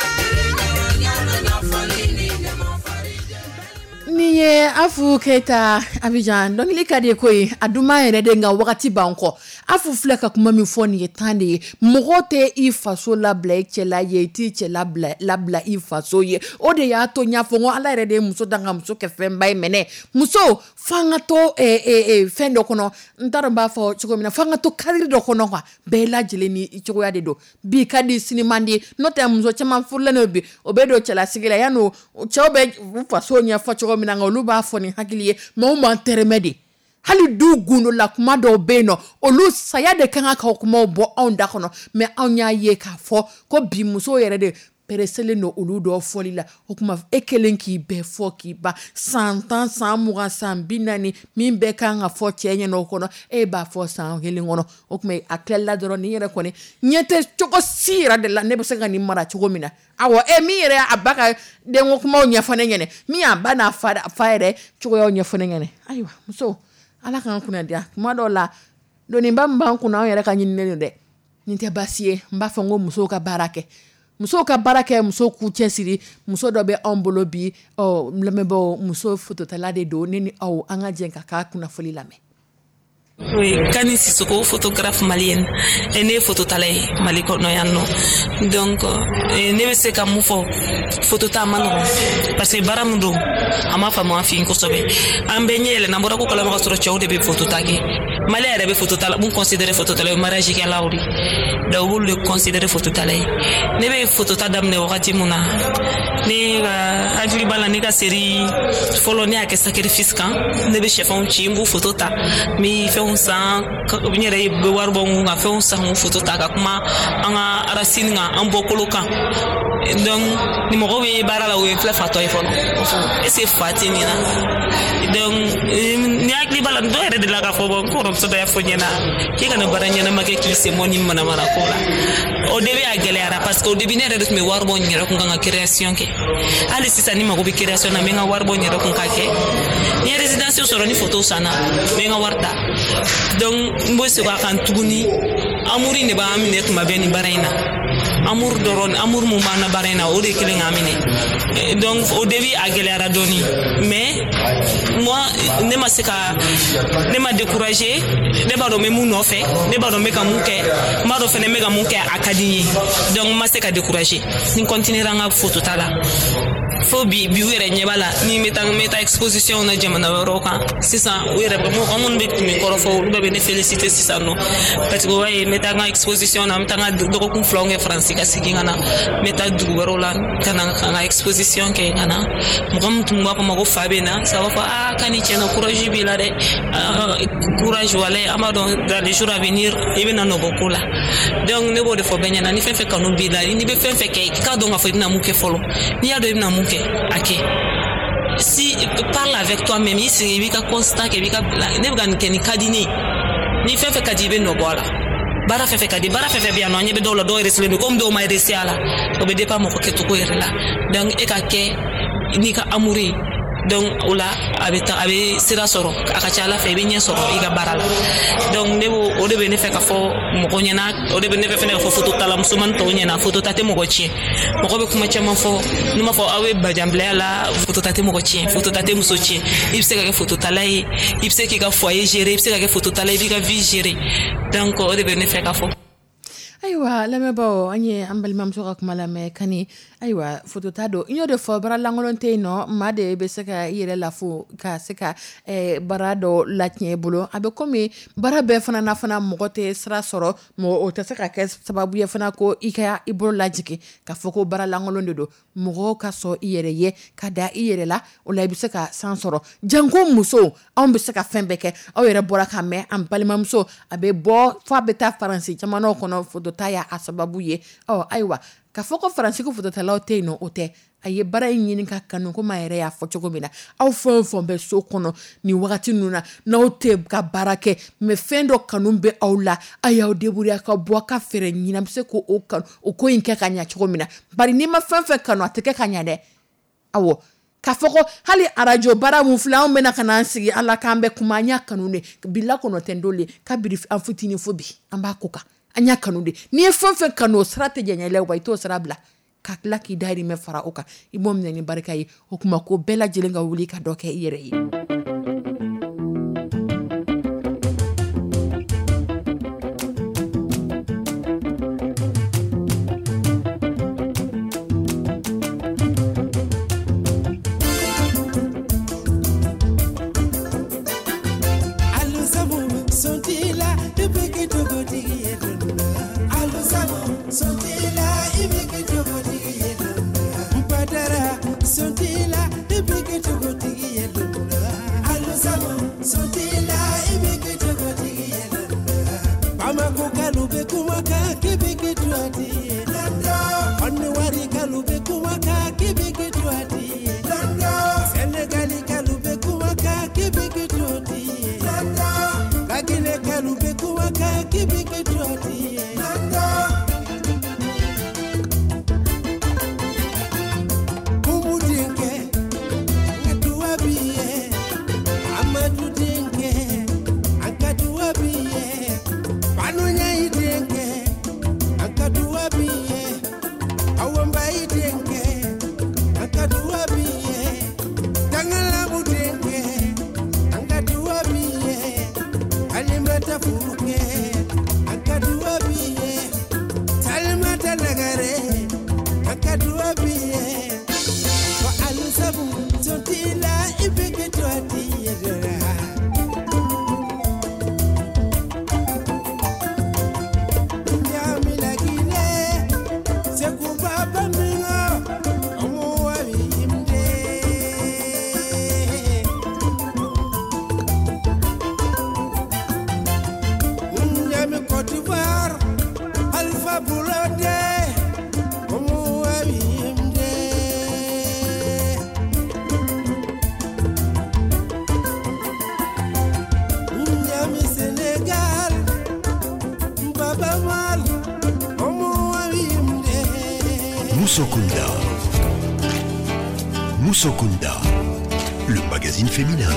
Nin ye Afu Keyita Abidjan dɔnkili ka di ko ye, a duman yɛrɛ de, nka wagati b'an kɔ. Afu filɛ ka kuma min fɔ nin ye tan de ye. Mɔgɔ tɛ i faso labila i cɛla ye, i t'i cɛ labila labila i faso ye. O de y'a to n y'a fɔ n ko Ala yɛrɛ de ye muso dan ka muso kɛ fɛnba ye. Mɛnɛ muso f'an ka to eh, eh, eh, fɛn dɔ kɔnɔ, n t'a dɔn n b'a fɔ cogo min na, f'an ka to cadre dɔ kɔnɔ quoi. Bɛɛ lajɛlen ni i cogoya de don. Bi ka di, sini man di. N'o tɛ, muso caman furulen don bi, o bɛ don cɛlasigi la, yanni cɛw bɛ u faso ɲɛfɔ cogo min na, nka olu b'a fɔ ni hakili ye. Mais u m'an tɛrɛmɛ de. Hali du gundo la, kuma dɔw bɛ yen nɔ, olu saya de kan ka kumaw bɔ anw da kɔnɔ. Mais anw y'a ye k'a fɔ ko bi musow yɛrɛ de pereselen don olu dɔw fɔli la. O tuma e kelen k'i bɛɛ fɔ k'i ban, san tan, san mugan, san bi naani, min bɛɛ kan ka fɔ cɛ ɲɛna o kɔnɔ, e b'a fɔ san kelen kɔnɔ. O tuma a tilala dɔrɔn, nin yɛrɛ kɔni ɲɛ tɛ cogo si yɛrɛ de la ne bɛ se ka nin mara cogo min na. Awɔ, e min yɛrɛ a ba ka denko kumaw ɲɛfɔ ne ɲɛna, min y'a ba n'a fa fa yɛrɛ cogoyaw ɲɛfɔ ne ɲɛna. Ayiwa muso, Ala k'an kunna diya. Kuma dɔw la, doniba min b'an kunna, anw yɛrɛ ka ɲininen don dɛ. Nin tɛ baasi ye. N b'a fɔ n ko musow ka baara kɛ, musow ka baara kɛ, musow k'u cɛsiri. Muso dɔ bɛ anw bolo bi, ɔ lamɛnbaaw, muso fototala de don. Ne ni aw, an ka jɛ ka k'a kunnafoni lamɛn. Oui, Kani Sissoko, photographe malienne. Et ne ye phototala ye Mali kɔnɔ yan nɔ. Donc eh, ne bɛ se ka mun fɔ? Photota ma nɔgɔn parce que baara min don, a ma faamu an fɛ yen kosɛbɛ. An bɛɛ ɲɛ yɛlɛnna, an bɔra ko kalama ka sɔrɔ cɛw de bɛ photota kɛ. Mali yɛrɛ bɛ photota mun considéré phototala ye, mariage kɛlaw de. Donc u b'olu de considéré phototala ye. Ne bɛ photota daminɛ wagati mun na, ne ka hakili b'a la, ne ka série fɔlɔ, ne y'a kɛ sacrifice kan. Ne bɛ sɛfɛnw ci, n b'u photo ta, n bɛ fɛnw san, n yɛrɛ bɛ wari bɔ n kun ka fɛnw san k'u photo ta, ka kuma an ka racine kan, an bɔkolo kan. Donc ni mɔgɔw bɛ baara la, o ye filɛ fatɔ ye fɔlɔ, o fɔ est ce que fa tɛ nin na? Donc ni hakili b'a la, dɔw yɛrɛ delila k'a fɔ, bɔn, n kɔrɔmuso dɔ y'a fɔ n ɲɛna k'i kana baara ɲɛnama kɛ k'i sen bɔ ni manamana ko la. Au début a gɛlɛyara parce que au début ne yɛrɛ de tun bɛ wari bɔ n yɛrɛ kun kan ka création kɛ. Hali sisan ni mago bɛ création na, n bɛ n ka wari bɔ n yɛrɛ kun k'a kɛ. Ni ye résidence sɔrɔ, ni photo sanna, n bɛ n ka wari ta. Donc n bɛ segin a kan tuguni, amour de b'an minɛ tuma bɛɛ nin baara in na. Amour dɔrɔn, amour mun b'an na baara in na, o de kelen k'an minɛ. Donc au début a gɛlɛyara dɔɔni, mais moi ne ma se ka ne ma décourager. Ne b'a dɔn n bɛ mun nɔfɛ, ne b'a dɔn n bɛ ka mun kɛ, n b'a dɔn fɛnɛ n bɛ ka mun kɛ, a ka di n ye. Donc n ma se ka décourager, ni n continuera n ka photo ta la fo bi. Bi u yɛrɛ ɲɛ b'a la, ni n bɛ taa n bɛ taa exposition na jamana wɛrɛw kan sisan, u yɛrɛ mɔgɔ minnu bɛ tun bɛ kɔrɔfɔ, olu bɛɛ bɛ ne féliciter sisan nɔ, parce que o b'a ye n bɛ taa n ka exposition na, n bɛ taa n ka dɔgɔkun filaw kɛ Faransi ka segin ka na, n bɛ taa dugu wɛrɛw la ka na ka n ka exposition kɛ ka na. Mɔgɔ min tun b'a fɔ ma ko fa bɛ na sa, b'a fɔ aa Kani, tiɲɛna courage b'i la dɛ, courage, walayi, an b'a dɔn dans les jours à venir i bɛna nɔ bɔ ko la. Donc ne b'o de fɔ bɛɛ ɲɛna, ni fɛn fɛn kanu b'i la, n'i bɛ fɛn fɛn kɛ, i k'a dɔn k'a fɔ i bɛna mun kɛ fɔlɔ. N'i y'a dɔn i bɛna mun kɛ, a kɛ. Si parle avec toi-même, i sigi, i b'i ka constat kɛ, i b'i ka ne bɛ ka nin kɛ, nin ka di ne ye. Ni fɛn fɛn ka di, i bɛ nɔ bɔ a la. Baara fɛn fɛn ka di, baara fɛn fɛn bɛ yan nɔ, an ɲɛ bɛ dɔw la, dɔw yɛrɛ sigilen don komi dɔw ma réussi a la. O bɛ dépend mɔgɔ kɛcogo yɛrɛ la. Donc e ka kɛ n'i ka amour ye, donc o la a bɛ taa, a bɛ sira sɔrɔ, a ka ca Ala fɛ i bɛ ɲɛ sɔrɔ i ka baara la. Donc ne b'o o de bɛ ne fɛ ka fɔ mɔgɔ ɲɛna, o de bɛ ne fɛ fɛnɛ ka fɔ phototala musomanin tɔw ɲɛna. Photota tɛ mɔgɔ tiɲɛ. Mɔgɔ bɛ kuma caman fɔ, n'u m'a fɔ aw bɛ bajanbilaya la. Photota tɛ mɔgɔ tiɲɛ, photota tɛ muso tiɲɛ. I bɛ se ka kɛ phototala ye, i bɛ se k'i ka foyer gérer, i bɛ se ka kɛ phototala ye, i b'i ka vie gérer. Donc o de bɛ ne fɛ ka fɔ. Ayiwa lamɛnbaaw, an ye an balimamuso ka kuma lamɛn, Kani. Ayiwa, fotota don, n y'o de fɔ, baara lankolon tɛ yen nɔ. Maa de bɛ se ka i yɛrɛ lafo ka se ka eh, baara dɔ latiɲɛ i bolo. A bɛ komi baara bɛɛ fana na fana, mɔgɔ tɛ sira sɔrɔ, mɔgɔ o tɛ se ka kɛ sababu ye fana ko i ka i bolo lajigin ka fɔ ko baara lankolon de don. Mɔgɔw ka sɔn i yɛrɛ ye ka da i yɛrɛ la, o la i bɛ se ka san sɔrɔ. Janko musow, anw bɛ se ka fɛn bɛɛ kɛ. Aw yɛrɛ bɔra ka mɛn, an balimamuso a bɛ bɔ fo a bɛ taa Faransi jamanaw kɔnɔ, fotota y'a sababu ye. Ɔ ayiwa, ka fɔ ko Faransi ko fototalaw tɛ yen nɔ, o tɛ. A ye baara in ɲini ka kanu, komi a yɛrɛ y'a fɔ cogo min na. Aw fɛn o fɛn bɛ so kɔnɔ nin wagati ninnu na, n'aw tɛ ka baara kɛ, mais fɛn dɔ kanu bɛ aw la, a y'aw débrouiller ka bɔ a ka fɛɛrɛ ɲini a bɛ se k'o kanu o ko in kɛ ka ɲɛ cogo min na. Bari n'i ma fɛn fɛn kanu, a tɛ kɛ ka ɲɛ dɛ. Awɔ, k'a fɔ ko hali arajo baara mun filɛ, anw bɛna ka n'an sigi ala k'an bɛ kuma, an y'a kanu de. Bila kɔnɔ tɛ n dole kabiri an fitinin fo bi an b'a ko kan, an y'a kanu de. N'i ye fɛn fɛn kanu, o sira tɛ jɛɲɛ la, wa i t'o sira bila ka tila k'i dahirimɛ fara o kan, i b'o minɛ ni barika ye. O kuma ko bɛɛ lajɛlen ka wuli ka dɔ kɛ i yɛrɛ ye. Moussokunda. Moussokunda, le magazine féminin.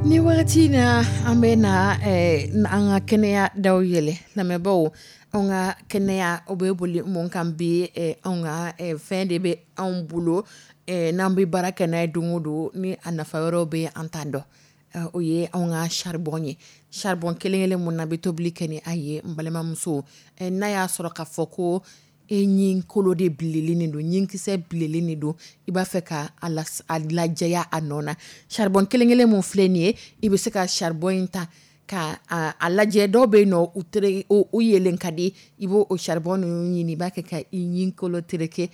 Ni wagati na an bɛ na eh, an ka kɛnɛya daw yɛlɛ. Lamɛnbaaw, anw ka kɛnɛya o bɛ boli mun kan bi? eh, anw ka eh, fɛn de bɛ anw bolo, eh, n'an bɛ baara kɛ n'a ye don o don, ni a nafa wɛrɛw bɛ an t'an dɔn. O ye anw ka charbon ye. Charbon kelen kelen mun na bɛ tobili kɛ ni a ye, n balimamuso, n'a y'a sɔrɔ k'a fɔ ko e ɲin kolo de bilelen don, ɲinkisɛ bilelen de don, i b'a fɛ ka a lajɛya a nɔ na, charbon kelen kelen mun filɛ nin ye, i bɛ se ka charbon in ta ka a lajɛ. Dɔw bɛ yen nɔ, u tere u yelen ka di, i b'o o charbon ninnu ɲini, i b'a kɛ ka i ɲin kolo tereke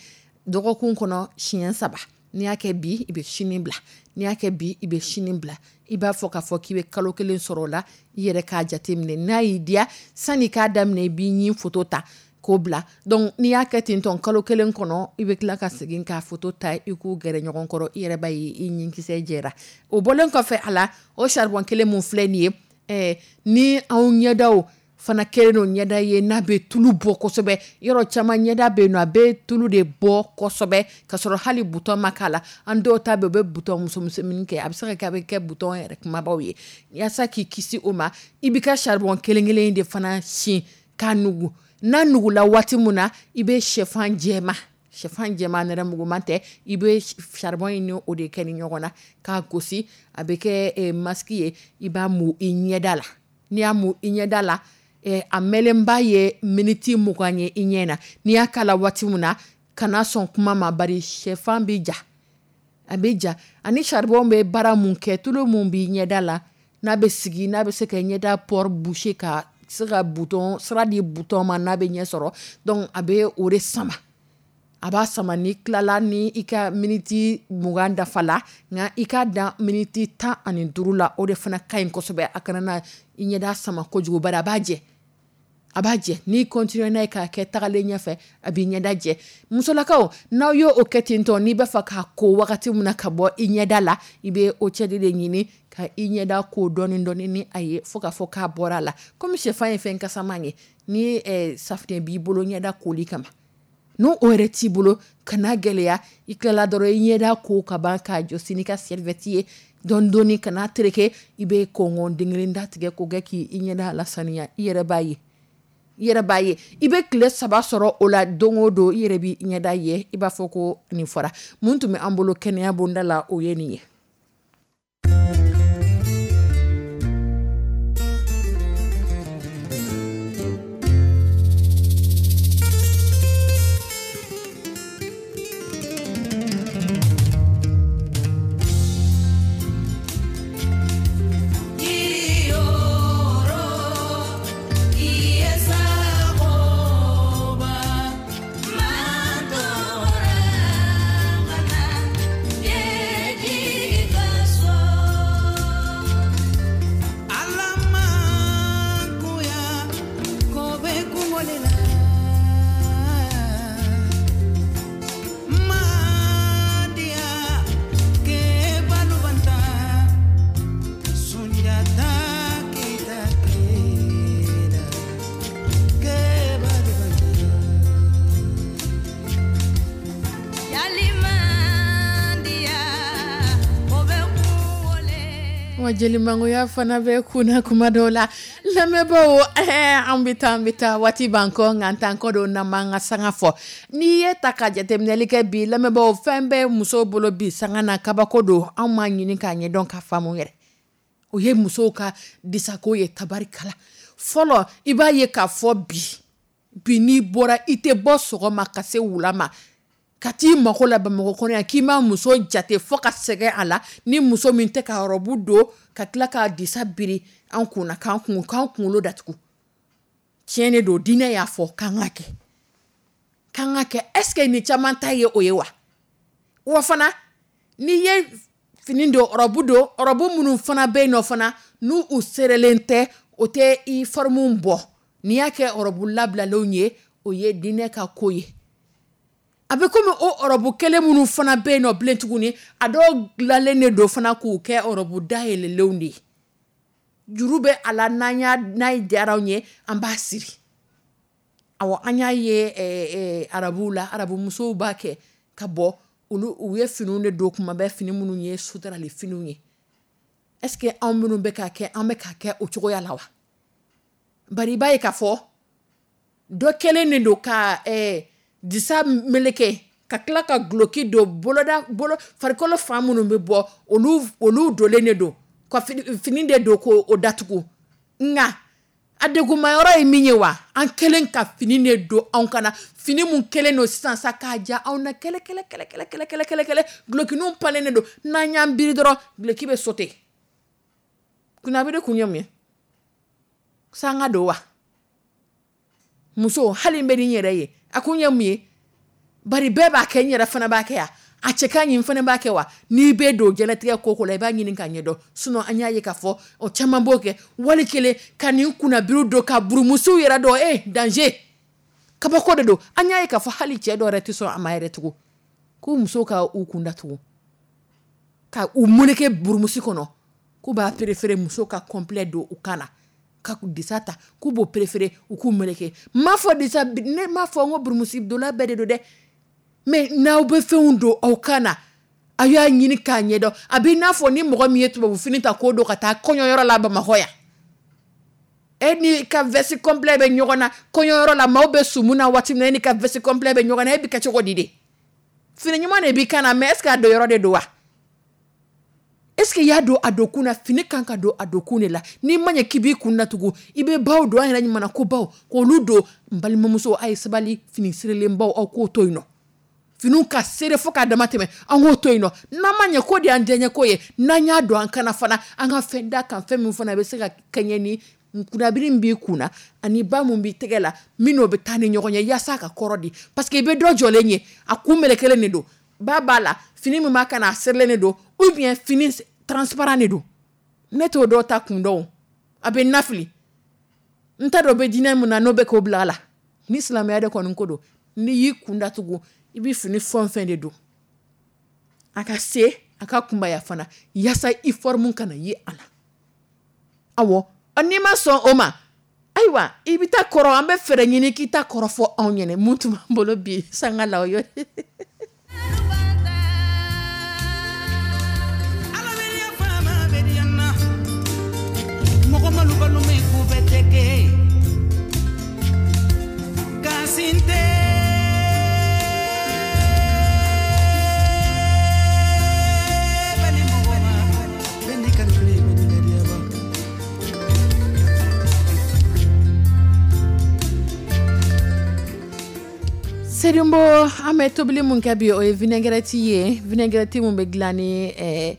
dɔgɔkun kɔnɔ siɲɛ saba. N'i y'a kɛ bi, i bɛ sini bila. N'i y'a kɛ bi, i bɛ sini bila. I b'a fɔ k'a fɔ k'i bɛ kalo kelen sɔrɔ o la, i yɛrɛ k'a jateminɛ. N'a y'i diya, sanni k'a daminɛ, i b'i ɲin foto ta k'o bila. Donc n'i y'a kɛ ten tɔn kalo kelen kɔnɔ, i bɛ tila ka segin k'a foto ta, i k'u gɛrɛ ɲɔgɔn kɔrɔ, i yɛrɛ b'a ye i ɲinkisɛ jɛra. O bɔlen kɔfɛ a la, o charbon kelen mun filɛ nin ye, eh, ni anw ɲɛdaw fana kɛlen don ɲɛda ye n'a bɛ tulu bɔ kosɛbɛ, yɔrɔ caman ɲɛda bɛ yen nɔ, a bɛ tulu de bɔ kosɛbɛ ka sɔrɔ hali butɔn ma k'a la. An dɔw ta bɛ, u bɛ butɔn musomisɛnnin kɛ, a bɛ se ka kɛ a bɛ kɛ butɔn yɛrɛ kumabaw ye. Yaasa k'i kisi o ma, i b'i ka charbon kelen kelen de fana sin k'a nugu. N'a nugula waati mun na, i bɛ sɛfan jɛma, sɛfan jɛma nɛrɛmuguman tɛ, i bɛ charbon in ni o de kɛ ni ɲɔgɔn na k'a gosi, a bɛ kɛ masque ye, i b'a mu i ɲɛda la. N'i y'a mu i ɲɛda la, a mɛnlenba ye miniti mugan ye i ɲɛ na. N'i y'a k'a la waati mun na, kana sɔn kuma ma, bari sɛfan bɛ ja, a bɛ ja. Ani charbon bɛ baara mun kɛ, tulu mun b'i ɲɛda la, n'a bɛ sigi, n'a bɛ se ka ɲɛda pore boucher, ka se ka bouton sira di bouton ma, n'a bɛ ɲɛ sɔrɔ, donc a bɛ o de sama, a b'a sama. Ni tilala ni i ka miniti mugan dafa la, nka i ka dan miniti tan ani duuru la, o de fana ka ɲi kosɛbɛ. A kana na i ɲɛda sama kojugu, bari a b'a jɛ. A b'a jɛ, n'i continuer n'a ye k'a kɛ tagalen ɲɛfɛ, a b'i ɲɛda jɛ. Musolakaw, n'aw y'o o kɛ ten tɔ, n'i b'a fɛ k'a ko wagati min na ka bɔ i ɲɛda la, i bɛ eau tiède de ɲini ka i ɲɛda ko dɔɔni dɔɔni ni a ye, fo k'a fɔ k'a bɔra a la. Komi sɛfan ye fɛn kasaman ye, ni eh, safunɛ b'i bolo ɲɛda koli kama, n'o o yɛrɛ t'i bolo, kana gɛlɛya, i tilala dɔrɔn i ɲɛda ko ka ban k'a jɔsi n'i ka serviette ye dɔɔni dɔɔni, kana tereke, i bɛ kɔngɔn den kelen datigɛ k'o kɛ k'i ɲɛda lasaniya. I yɛrɛ b'a ye, i yɛrɛ b'a ye, i bɛ tile saba sɔrɔ o la don o don, i yɛrɛ b'i ɲɛda ye, i b'a fɔ ko nin fɔra. Mun tun bɛ an bolo kɛnɛya bonda la, o ye nin ye. Wa jelimangoya fana bɛ kunna kuma dɔw la. Lamɛnbaaw, an bɛ taa an bɛ taa waati b'an kɔ, nka an t'an kɔ don n'an m'an ka sanga fɔ. N'i ye ta ka jateminɛli kɛ bi, lamɛnbaaw, fɛn bɛɛ musow bolo bi sanga na kabako don, anw m'a ɲini k'a ɲɛdɔn k'a faamu yɛrɛ. O ye musow ka disako ye tabarikala. Fɔlɔ, i b'a ye k'a fɔ bi bi n'i bɔra, i tɛ bɔ sɔgɔma ka se wula ma ka t'i mako la Bamakɔ kɔnɔ yan k'i ma muso jate fo ka sɛgɛn a la, ni muso min tɛ ka rɔbu don ka tila k'a disa biri an kunna k'an kun k'an kunkolo datugu. Tiɲɛ de don, diinɛ y'a fɔ k'an ka kɛ, k'an ka kɛ. Est-ce que nin caman ta ye o ye wa? Wa fana n'i ye fini don, rɔbu don, rɔbu minnu fana bɛ yen nɔ fana n'u u serelen tɛ, o tɛ i forme bɔ. N'i y'a kɛ rɔbu labilalenw ye, o ye diinɛ ka ko ye. A bɛ komi o rɔbu kelen minnu fana bɛ yen nɔ bilen tuguni, a dɔw dilanlen de don fana k'u kɛ rɔbu dayɛlɛlenw de ye. Juru bɛ a la, n'an y'a n'a diyara anw ye, an b'a siri. Awɔ, an y'a ye arabuw la, arabu musow b'a kɛ ka bɔ, olu u ye finiw de don kuma bɛɛ, fini minnu ye suturali finiw ye. Est-ce que anw minnu bɛ k'a kɛ, an bɛ k'a kɛ o cogoya la wa? Bari i b'a ye k'a fɔ dɔ kɛlen de don ka eh, disa meleke ka tila ka guloki don boloda bolo farikolo fan minnu bɛ bɔ, olu olu donlen de don ka fini de don k'o datugu. Nka a degunmayɔrɔ ye min ye wa, an kɛlen ka fini de don anw kana, fini mun kɛlen don sisan sa k'a ja anw na kɛlɛ kɛlɛ kɛlɛ kɛlɛ kɛlɛ kɛlɛ kɛlɛ kɛlɛ, gulokininw palen de don, n'an y'an biri dɔrɔn guloki bɛ sauter. Kunnabiri kun ye mun ye? Sanga don wa? Muso hali n bɛ ni n yɛrɛ ye, a kun ye mun ye? Bari bɛɛ b'a kɛ, n yɛrɛ fana b'a kɛ yan, a cɛ ka ɲi n fana b'a kɛ wa? N'i bɛ don diɲɛlatigɛ ko ko la, i b'a ɲini k'a ɲɛdɔn. Sinon an y'a ye k'a fɔ o caman b'o kɛ wali kelen ka nin kunnabiriw don ka burumusiw yɛrɛ dɔn, eh danger, kabako de don. An y'a ye k'a fɔ hali cɛ dɔw yɛrɛ tɛ sɔn a ma yɛrɛ tugun, k'u musow ka u kun datugu ka u meleke burumusi kɔnɔ, k'u b'a préféré muso ka complet don u kan na, ka disa ta k'u b'o préféré u k'u meleke. N m'a fɔ disa, ne m'a fɔ n ko burumusi donna bɛɛ de don dɛ, mais n'aw bɛ fɛnw don aw kan na, aw y'a ɲini k'a ɲɛdɔn. A b'i n'a fɔ ni mɔgɔ min ye tubabu fini ta k'o don ka taa kɔɲɔyɔrɔ la Bamakɔ yan, e ni ka veste complet bɛ ɲɔgɔn na kɔɲɔyɔrɔ la, maaw bɛ sumu na waati min na, e ni ka veste complet bɛ ɲɔgɔn na, e bɛ kɛ cogo di de? Fini ɲuman de b'i kan na, mais est ce que a don yɔrɔ de don wa? Est ce que i y'a don a don kun na? Fini kan ka don a don kun de la. N'i ma ɲɛ k'i b'i kun datugu, i bɛ baw don, an yɛrɛ ɲuman ko baw k'olu don. N balimamuso, a ye sabali, fini sirilenbaw aw k'o to yen nɔ, finiw ka sere fo k'a dama tɛmɛ, an k'o to yen nɔ. N'an ma ɲɛ ko de y'an diyaɲɛ ko ye, n'an y'a don an kana fana, an ka fɛn da kan, fɛn min fana bɛ se ka kɛɲɛ ni kunnabiri min b'i kun na ani ba mun b'i tɛgɛ la, min n'o bɛ taa ni ɲɔgɔn ye yaasa ka kɔrɔ di. Parce que i bɛ dɔ jɔlen ye, a kun melekelen de don, ba b'a la, fini min b'a kan na a serilen de don, ou bien fini transparent de don. Ne t'o dɔw ta kun dɔn, a bɛ nafili. N t'a dɔn bɛ diinɛ mun na n'o bɛ k'o bila a la. Ni silamɛya de kɔni ko don, n'i y'i kun datugu, i bɛ fini fɛn o fɛn de don, a ka se a ka kunbaya fana, yaasa i forme kana ye a la. Awɔ, n'i ma sɔn o ma, ayiwa, i bɛ taa kɔrɔ, an bɛ fɛɛrɛ ɲini k'i ta kɔrɔ fɔ anw ɲɛna. Mun tun b'an bolo bi sanga la, o ye Mɔgɔ malu min k'u bɛ tɛ kɛ kasi tɛ. Seydou, an bɛ tobili mun kɛ bi, o ye vinaigrette ye. Vinaigrette mun bɛ dilan ni ɛɛ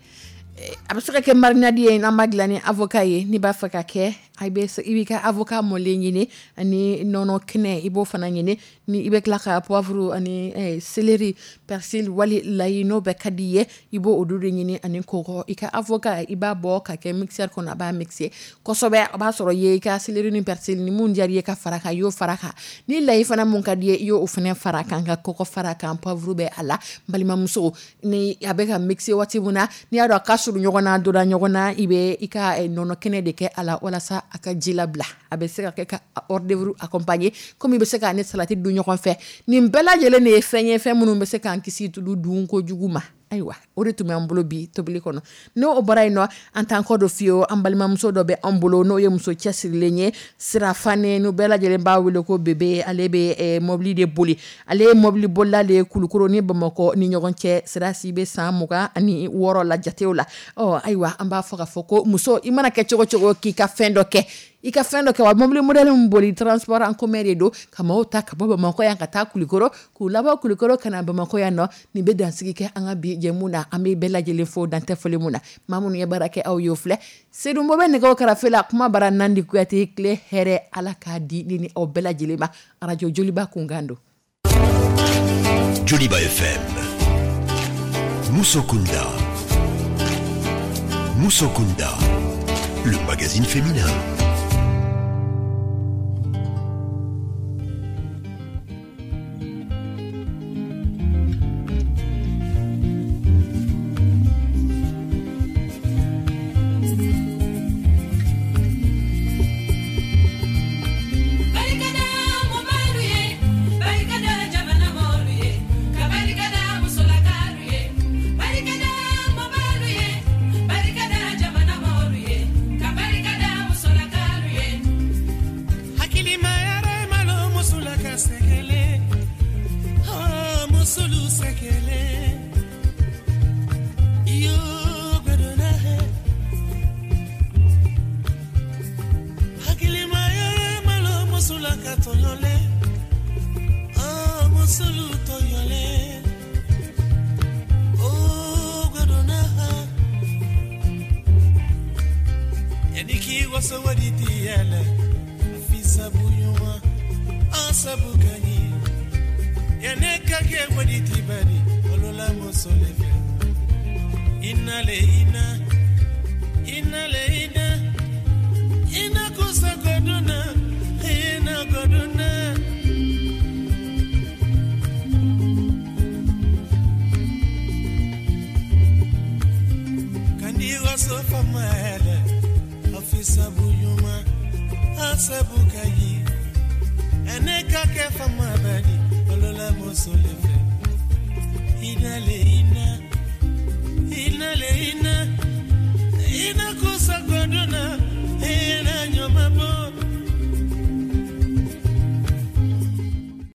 a bɛ se ka kɛ marinade ye, n'an b'a dilan ni avocat ye. N'i b'a fɛ ka kɛ, i bɛ i b'i ka avocat mɔlen ɲini ani nɔnɔ kɛnɛ, i b'o fana ɲini. Ni i bɛ tila ka poivre ani céleri, persil wali layi, n'o bɛɛ ka di i ye, i b'o olu de ɲini ani kɔgɔ. I ka avocat, i b'a bɔ ka kɛ mixeur kɔnɔ, a b'a mixer kosɛbɛ. A b'a sɔrɔ i ye i ka céleri ni persil ni mun diyara i ye ka fara kan, i y'o fara kan. Ni layi fana mun ka di i ye, i y'o fana fara kan, ka kɔgɔ fara kan, poivre bɛ a la. N balimamuso, ni a bɛ ka mixer waati mun na, n'i y'a dɔn a ka surun ɲɔgɔn na, a donna ɲɔgɔn na, i bɛ i ka nɔnɔ kɛnɛ de kɛ a la walasa a ka ji labila. A bɛ se ka kɛ ka hors d'œuvre accompagner, komi i bɛ se k'a ni salati dun ɲɔgɔn fɛ. Nin bɛɛ lajɛlen de ye fɛn ye, fɛn minnu bɛ se k'an kisi tulu dun kojugu ma. Ayiwa, o de tun b'an bolo bi tobili kɔnɔ. N'o bɔra yen nɔ, an t'an kɔ don fiyewu. An balimamuso dɔ bɛ an bolo, n'o ye muso cɛsirilen ye, Sira Fane, n'u bɛɛ lajɛlen b'a wele ko Bebe. Ale bɛ mobili de boli, ale ye mobili bolila de ye Kulukoro ni Bamakɔ ni ɲɔgɔn cɛ. Sira si bɛ san mugan ani wɔɔrɔ la jatew la. Ɔ ayiwa, an b'a fɔ k'a fɔ ko muso, i mana kɛ cogo cogo, k'i ka fɛn dɔ kɛ, i ka fɛn dɔ kɛ. Wa mobili modèle min boli, transport en commun de don, ka maaw ta ka bɔ Bamakɔ yan ka taa Kulukoro, k'u labɔ Kulukoro ka na Bamakɔ yan nɔ. Nin bɛ dansigi kɛ an ka bi jɛmu na. An bɛ bɛɛ lajɛlen fo dantɛ foli mun na. Maa minnu ye baara kɛ, aw y'o filɛ. Seydou bɛ nɛgɛw karafe la, kuma bara Nandi Kuyate. Tile hɛrɛ, Ala k'a di ni ni aw bɛɛ lajɛlen ma. Arajo Joliba kunkan don. Joliba F M. Musokunda. Musokunda. Le magazine féminin. Ina, ina le ina, ina kusa goduna.